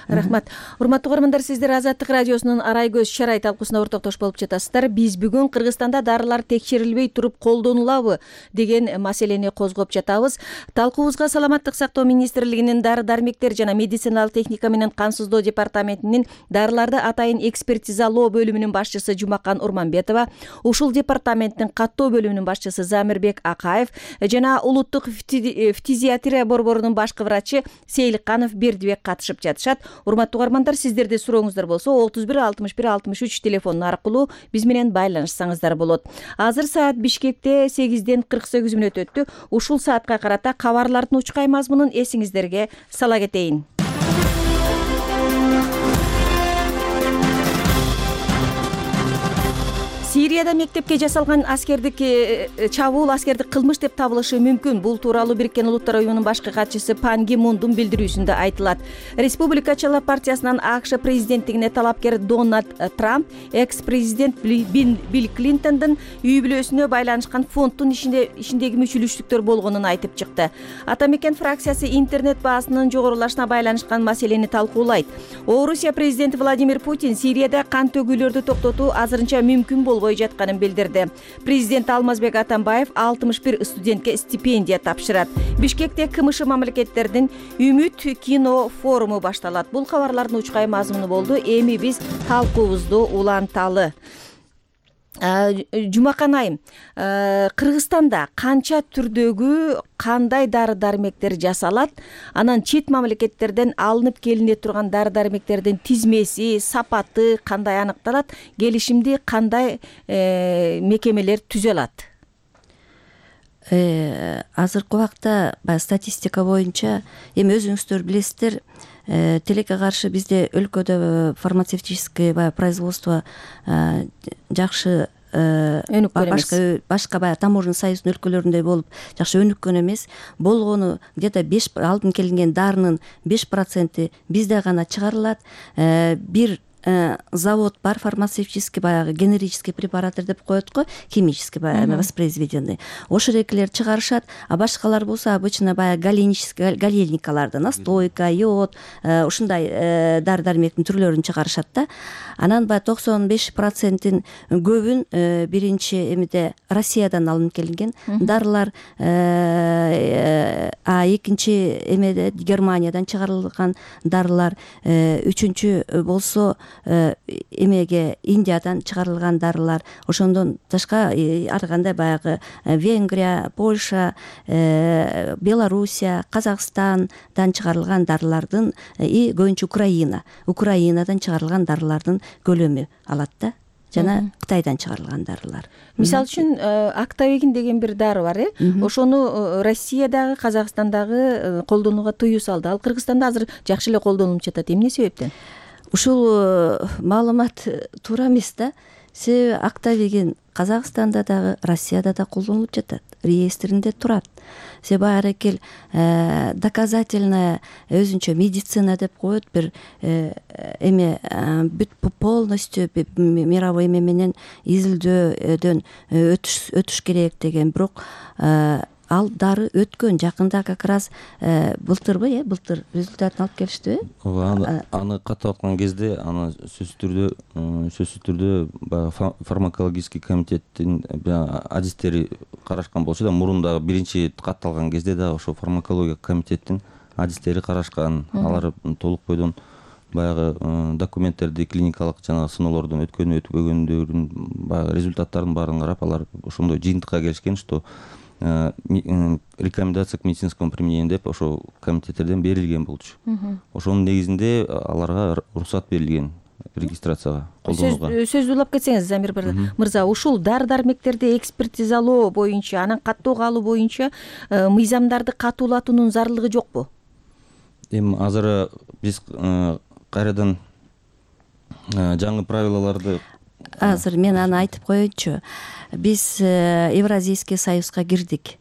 Рахмат. Урматтуу көрөрмандар, сиздер Азаттык радиосунун Арай көз чарай талкуусуна ортоктош болуп жатасыздар. Биз бүгүн Кыргызстанда дарылар текшерилбей туруп колдонулабы деген маселени козгоп жатабыз. Талкуубузга Саламаттык сактоо министрлигинин дары-дармектер жана медициналык техника менен камсыздоо департаментинин дарыларды атайын экспертизалоо бөлүмүнүн башчысы Жумакан Урманбетова, ушул департаменттин каттоо бөлүмүнүн башчысы Замирбек Акаев жана улуттук фтизиатрия борборунун башкы врачы Сейликканов Бердибек катышып жатышат. Урматтуу угармандар, сиздерде сурооңуздар болсо 31 61 63 телефону аркылуу биз менен байланышсаңыздар болот. Азыр саат Бишкекте 8ден 48 мүнөт өттү. Ушул саатка карата кабарлардын учкай мазмунун эсиңиздерге сала кетейин. Сирияда мектепке жасалган аскердик чабуул аскердик кылмыш деп табылышы мүмкүн. Бул тууралуу Бириккен Улуттар уюмунун башкы катчысы Пан Ги Мундун билдирүүсүндө айтылат. Республикачылар партиясынын АКШ президенттигине талапкер Дональд Трамп экс-президент Билл Клинтондун үй бүлөсүнө байланышкан фонддун ишиндеги мүчүлүштүктөр болгонун айтып чыкты. Ата мекен фракциясы интернет баасынын жогорулашына байланышкан маселени талкуулайт. Орусия президенти Владимир Путин Сирияда кан төгүүлөрдү токтотуу азырынча мүмкүн болбой жатканын билдирди. Президент Алмазбек Атамбаев 61 студентке стипендия тапшырат. Бишкекте КМШ мамлекеттердин Үмүт кино форуму башталат. Бул кабарлардын учкай мазмуну болду. Эми биз талкуубузду уланталы. Жумакан айым, Кыргызстанда канча түрдөгү кандай дары-дармектер жасалат? Анан чет мамлекеттерден алынып келине турган дары-дармектердин тизмеси, сапаты кандай аныкталат? Келишимди кандай мекемелер түзө алат? Азыркы убакта статистика боюнча эми өзүңүздөр билесиздер, тилекке каршы бизде өлкөдө фармацевтическое производство жакшы башка баягы таможенный союздун өлкөлөрүндөй болуп жакшы өнүккөн эмес. Болгону где-то алдын келинген дарынын 5% бизде гана чыгарылат. Бир завод бар, фармацевтический баягы генерический препараттар деп коет го, химический баягы воспроизведенный. Ошол экилер чыгарышат, а башкалар болсо обычно баягы галельникаларды, настойка, йод, ушундай дары-дармектин түрлөрүн чыгарышат да. Анан баягы 95%-ин көбүн биринчи эмеде Россиядан алынып келинген дарылар, экинчи эмеде Германиядан чыгарылган дарылар, үчүнчү болсо эмеге Индиядан чыгарылган дарылар, ошондон тышка ар кандай баягы Венгрия, Польша, Белоруссия, Казакстандан чыгарылган дарылардын и көбүнчө Украинадан чыгарылган дарылардын көлөмү алат да, жана Кытайдан чыгарылган дарылар. Мисалы үчүн Актавегин деген бир дары бар, ошону Россиядагы, Казакстандагы колдонууга тыюу салды. Ал Кыргызстанда азыр жакшы эле колдонулуп жатат. Эмне себептен? Ушул маалымат туура эмес да. Себеби Актавегин Казакстанда дагы, Россияда да колдонулуп жатат, реестринде турат. Себеби аракел доказательная өзүнчө медицина деп коет, бир эме бүт полностью мировой эме менен изилдөөдөн өтүш керек деген. Бирок ал дары өткөн жакында как раз былтыр результатын алып келиштиби? Аны катып аткан кезде аны сөзсүз түрдө фармакологический комитеттин адистери карашкан болчу да. Мурун дагы биринчи катталган кезде дагы ошо фармакология комитеттин адистери карашкан. Алар толук бойдон баягы документтерди, клиникалык жана сыноолордон өткөндөрүн баягы результаттарын баарын карап, алар ошондой жыйынтыкка келишкен, что рекомендация к медицинскому применению деп ошо комитеттерден берилген болчу. Ошонун негизинде аларга уруксат берилген регистрацияга, колдонууга. Сөздү улап кетсеңиз, Замир мырза, ушул дары-дармектерди экспертизалоо боюнча, анан каттоого алуу боюнча мыйзамдарды катуулатуунун зарылдыгы жокпу? Эми азыр биз кайрадан жаңы правилаларды азыр мен аны айтып коеюнчу. Биз Евразийский союзга кирдик.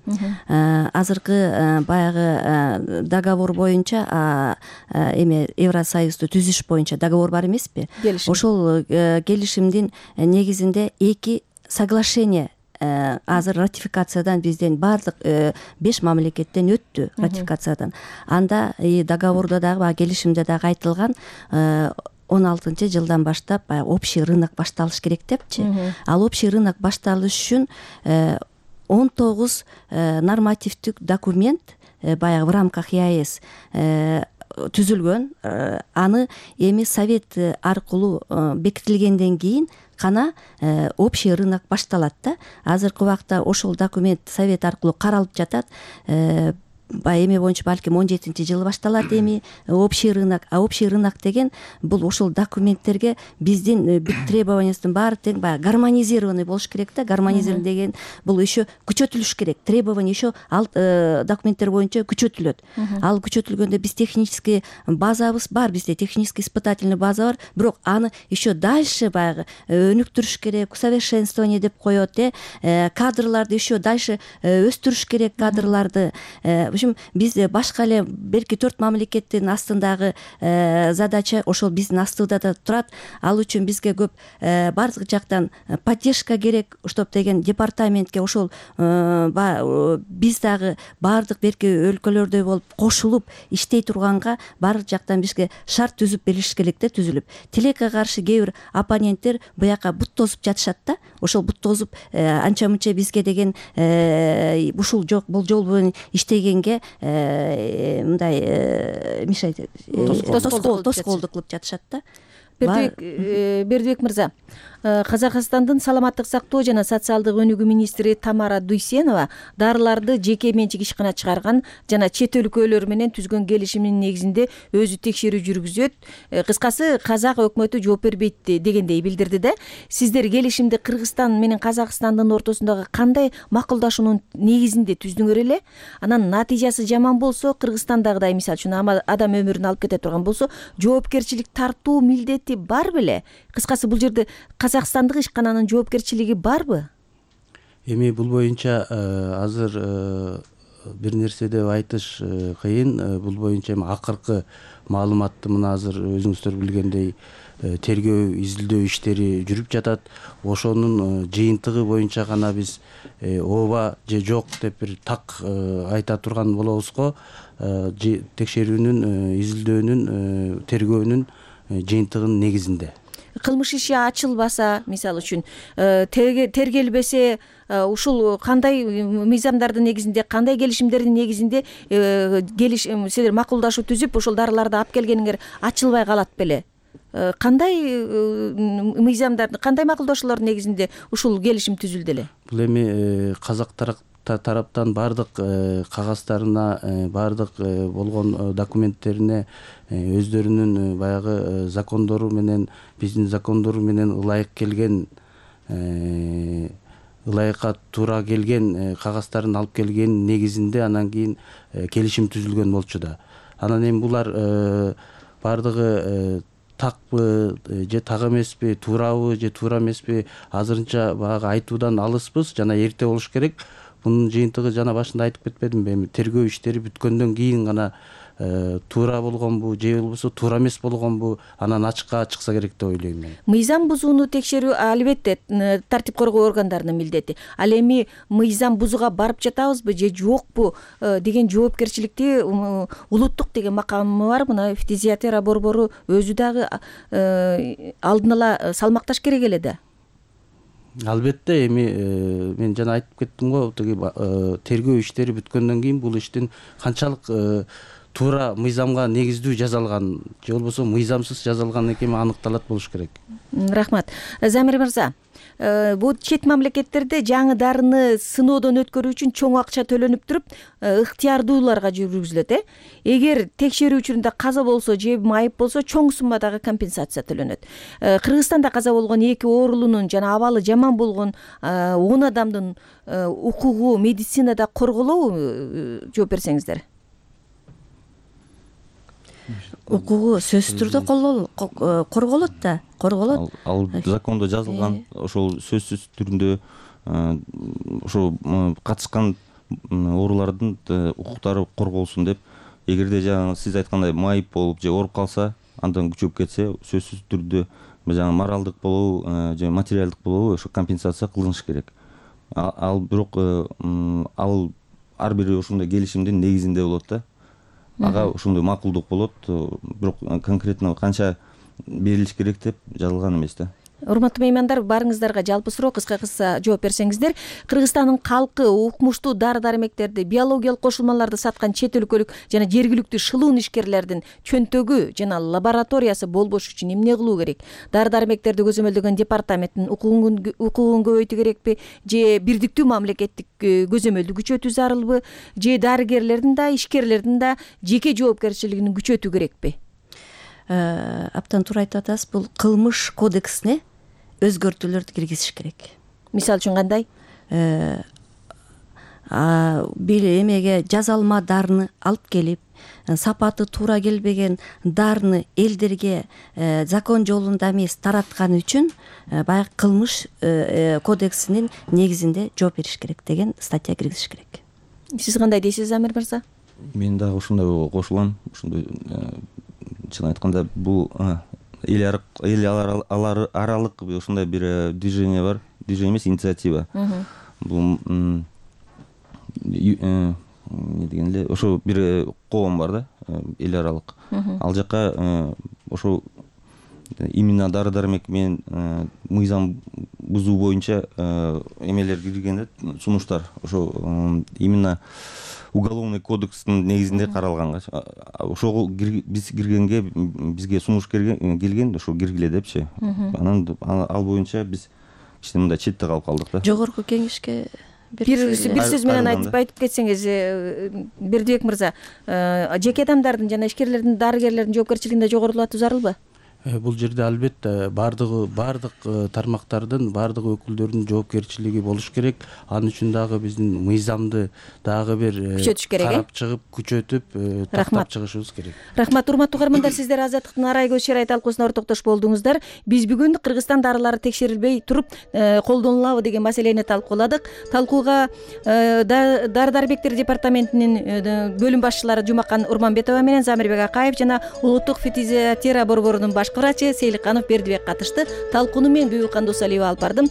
Азыркы баягы договор боюнча эме Евросоюзду түзүш боюнча договор бар эмеспи? Ошол келишимдин негизинде 2 соглашение азыр ратификациядан бизден баардык 5 мамлекеттен өттү ратификациядан. Анда договордо дагы, келишимде дагы айтылган 16-жылдан баштап общий рынок башталыш керек депчи. Ал общий рынок башталыш үчүн 19 нормативдик документ баягы в рамках ЕАЭС түзүлгөн. Аны эми совет аркылуу бекитилгенден кийин гана общий рынок башталат да. Азыркы убакта ошол документ совет аркылуу каралып жатат. баягы эме боюнча балким 17-жылы башталат эми общий рынок. А общий рынок деген бул ошол документтерге биздин бүт требованиябыздын баары тең баягы гармонизированный болуш керек да. Гармонизирован деген бул еще күчөтүлүш керек. Требования еще ал документтер боюнча күчөтүлөт. Ал күчөтүлгөндө биз технический базабыз бар, бизде технический испытательный база бар, бирок аны еще дальше баягы өнүктүрүш керек, усовершенствование деп коет, кадрларды еще дальше өстүрүш керек, кадрларды. В общем, биз башка эле белки 4 мамлекеттин астындагы задача ошол биздин астыбызда да турат. Ал үчүн бизге көп бардык жактан поддержка керек, чтоб деген департаментке ошол биз дагы бардык берки өлкөлөрдөй болуп кошулуп иштей турганга бардык жактан бизге шарт түзүп бериш керек да, түзүлүп. Тилекке каршы кээ бир оппоненттер буяка бут тосуп жатышат да. Ошол бут тосуп анча мынча бизге деген ушул жок, бул жол менен иштегенге мындай мешать, тоскоолдук кылып жатышат да. Бердибек мырза, Казакстандын саламаттык сактоо жана социалдык өнүгүү министри Тамара Дуйсенова дарыларды жеке менчик ишкана чыгарган жана чет өлкөлөр менен түзгөн келишимдин негизинде өзү текшерүү жүргүзөт. Кыскасы казак өкмөтү жооп бербейт дегендей билдирди да. Сиздер келишимди Кыргызстан менен Казакстандын ортосундагы кандай макулдашуунун негизинде түздүңөр эле? Анан натыйжасы жаман болсо, Кыргызстандагыдай мисалы үчүн адам өмүрүн алып кете турган болсо, жоопкерчилик тартуу милдети бар беле? Кыскасы бул жерде Казакстандык ишкананын жоопкерчилиги барбы? Эми бул боюнча азыр бир нерсе деп айтыш кыйын. Бул боюнча эми акыркы маалыматты мына азыр өзүңүздөр билгендей тергөө изилдөө иштери жүрүп жатат. Ошонун жыйынтыгы боюнча гана биз ооба же жок деп бир так айта турган болобуз го. Текшерүүнүн, изилдөөнүн, тергөөнүн жыйынтыгынын негизинде. Кылмыш иши ачылбаса, мисалы үчүн тергелбесе, ушул кандай мыйзамдардын негизинде, кандай келишимдердин негизинде силер макулдашуу түзүп, ошол дарыларды алып келгениңер ачылбай калат беле? Кандай мыйзамдарды, кандай макулдашуулардын негизинде ушул келишим түзүлдү эле? Бул эми казак тараптан бардык кагаздарына, бардык болгон документтерине өздөрүнүн баягы закондору менен, биздин закондору менен ылайык келген, ылайыкка туура келген кагаздарын алып келген негизинде анан кийин келишим түзүлгөн болчу да. Анан эми булар бардыгы такпы же так эмеспи, туурабы же туура эмеспи, азырынча баягы айтуудан алыспыз, жана эрте болуш керек. Бунун жыйынтыгы жана башында айтып кетпедимби, эми тергөө иштери бүткөндөн кийин гана туура болгонбу же болбосо туура эмес болгонбу анан ачыкка чыкса керек деп ойлойм мен. Мыйзам бузууну текшерүү албетте тартип коргоо органдарынын милдети. Ал эми мыйзам бузууга барып жатабызбы же жокпу деген жоопкерчиликти улуттук деген макамы бар. Мына фтизиатера борбору өзү дагы алдын ала салмакташ керек эле да. Албетте, эми мен жана айтып кеттим го, тергөө иштери бүткөндөн кийин бул иштин канчалык туура мыйзамга негиздүү жазалган же болбосо мыйзамсыз жазалган экени аныкталат болуш керек. Рахмат. Замир мырза, бул чет мамлекеттерде жаңы дарыны сыноодон өткөрүү үчүн чоң акча төлөнүп туруп, ыктыярдууларга жүргүзүлөт. Эгер текшерүү учурунда каза болсо же майып болсо, чоң суммадагы компенсация төлөнөт. Кыргызстанда каза болгон 2 оорулуунун жана абалы жаман болгон 10 адамдын укугу медицинада корголобу? Жооп берсеңиздер. Укугу сөзсүз түрдө корголот да, корголот. Ал закондо жазылган, ошол сөзсүз түрүндө ошо катышкан оорулардын укуктары корголсун деп. Эгерде жаңы сиз айткандай майып болуп же ооруп калса, андан күчөп кетсе, сөзсүз түрдө жаңы моралдык болобу же материалдык болобу ошо компенсация кылыныш керек. Ал бирок ал ар бир ошондой келишимдин негизинде болот да. Ага ошондой макулдук болот, бирок конкретно канча берилиш керек деп жазылган эмес да. урматтуу меймандар, баарыңыздарга жалпы суроо, кыска жооп берсеңиздер. Кыргызстандын калкы укмуштуу дары-дармектерди, биологиялык кошулмаларды саткан чет өлкөлүк жана жергиликтүү шылуун ишкерлердин чөнтөгү жана лабораториясы болбош үчүн эмне кылуу керек? Дары-дармектерди көзөмөлдөгөн департаменттин укугун көбөйтүү керекпи же бирдиктүү мамлекеттик көзөмөлдү күчөтүү зарылбы же дарыгерлердин да ишкерлердин да жеке жоопкерчилигин күчөтүү керекпи? Абдан туура айтып атасыз. Бул кылмыш кодексине өзгөртүүлөрдү киргизиш керек. Мисалы үчүн кандай? Бир эмеге жазалма дарыны алып келип, сапаты туура келбеген дарыны элдерге закон жолунда эмес тараткан үчүн баягы кылмыш кодексинин негизинде жооп бериш керек деген статья киргизиш керек. Сиз кандай дейсиз, Замир мырза? Мен дагы ушундай кошулам. Ушундай чын айтканда бул эл аралык ушундай бир движение бар. Движение эмес, инициатива. Бул эмне деген эле ошо бир коом бар да, эл аралык. Ал жака ошо именно дары-дармек менен мыйзам бузуу боюнча эмелер кирген да, сунуштар. Ошо именно уголовный кодекстин негизинде каралган. Ошого биз киргенге бизге сунуш келген, ошо киргиле депчи. Анан ал боюнча биз кичине мындай четте калып калдык да. Жогорку кеңешке бир сөз менен айтып кетсеңиз, Бердибек мырза, жеке адамдардын жана ишкерлердин, дарыгерлердин жоопкерчилигинде жогорулатуу зарылбы? Бул жерде албетте баардык тармактардын, баардык өкүлдөрдүн жоопкерчилиги болуш керек. Анын үчүн дагы биздин мыйзамды дагы бир күчөтүш керек, карап чыгып, күчөтүп, тактап чыгышыбыз керек. Рахмат, урматтуу көөрмандар, сиздер Азаттыктын Арай көз чырай талкуусуна ортоктош болдуңуздар. Биз бүгүн Кыргызстан дарылары текшерилбей туруп колдонулабы деген маселени талкууладык. Талкууга дары-дармектер департаментинин бөлүм башчылары Жумакан Урманбетова менен Замирбек Акаев жана улуттук фитизиатера борборунун башкы врачы Сейликканов Бердибек катышты. Талкууну мен Бүбүлкан Досалиева алып бардым.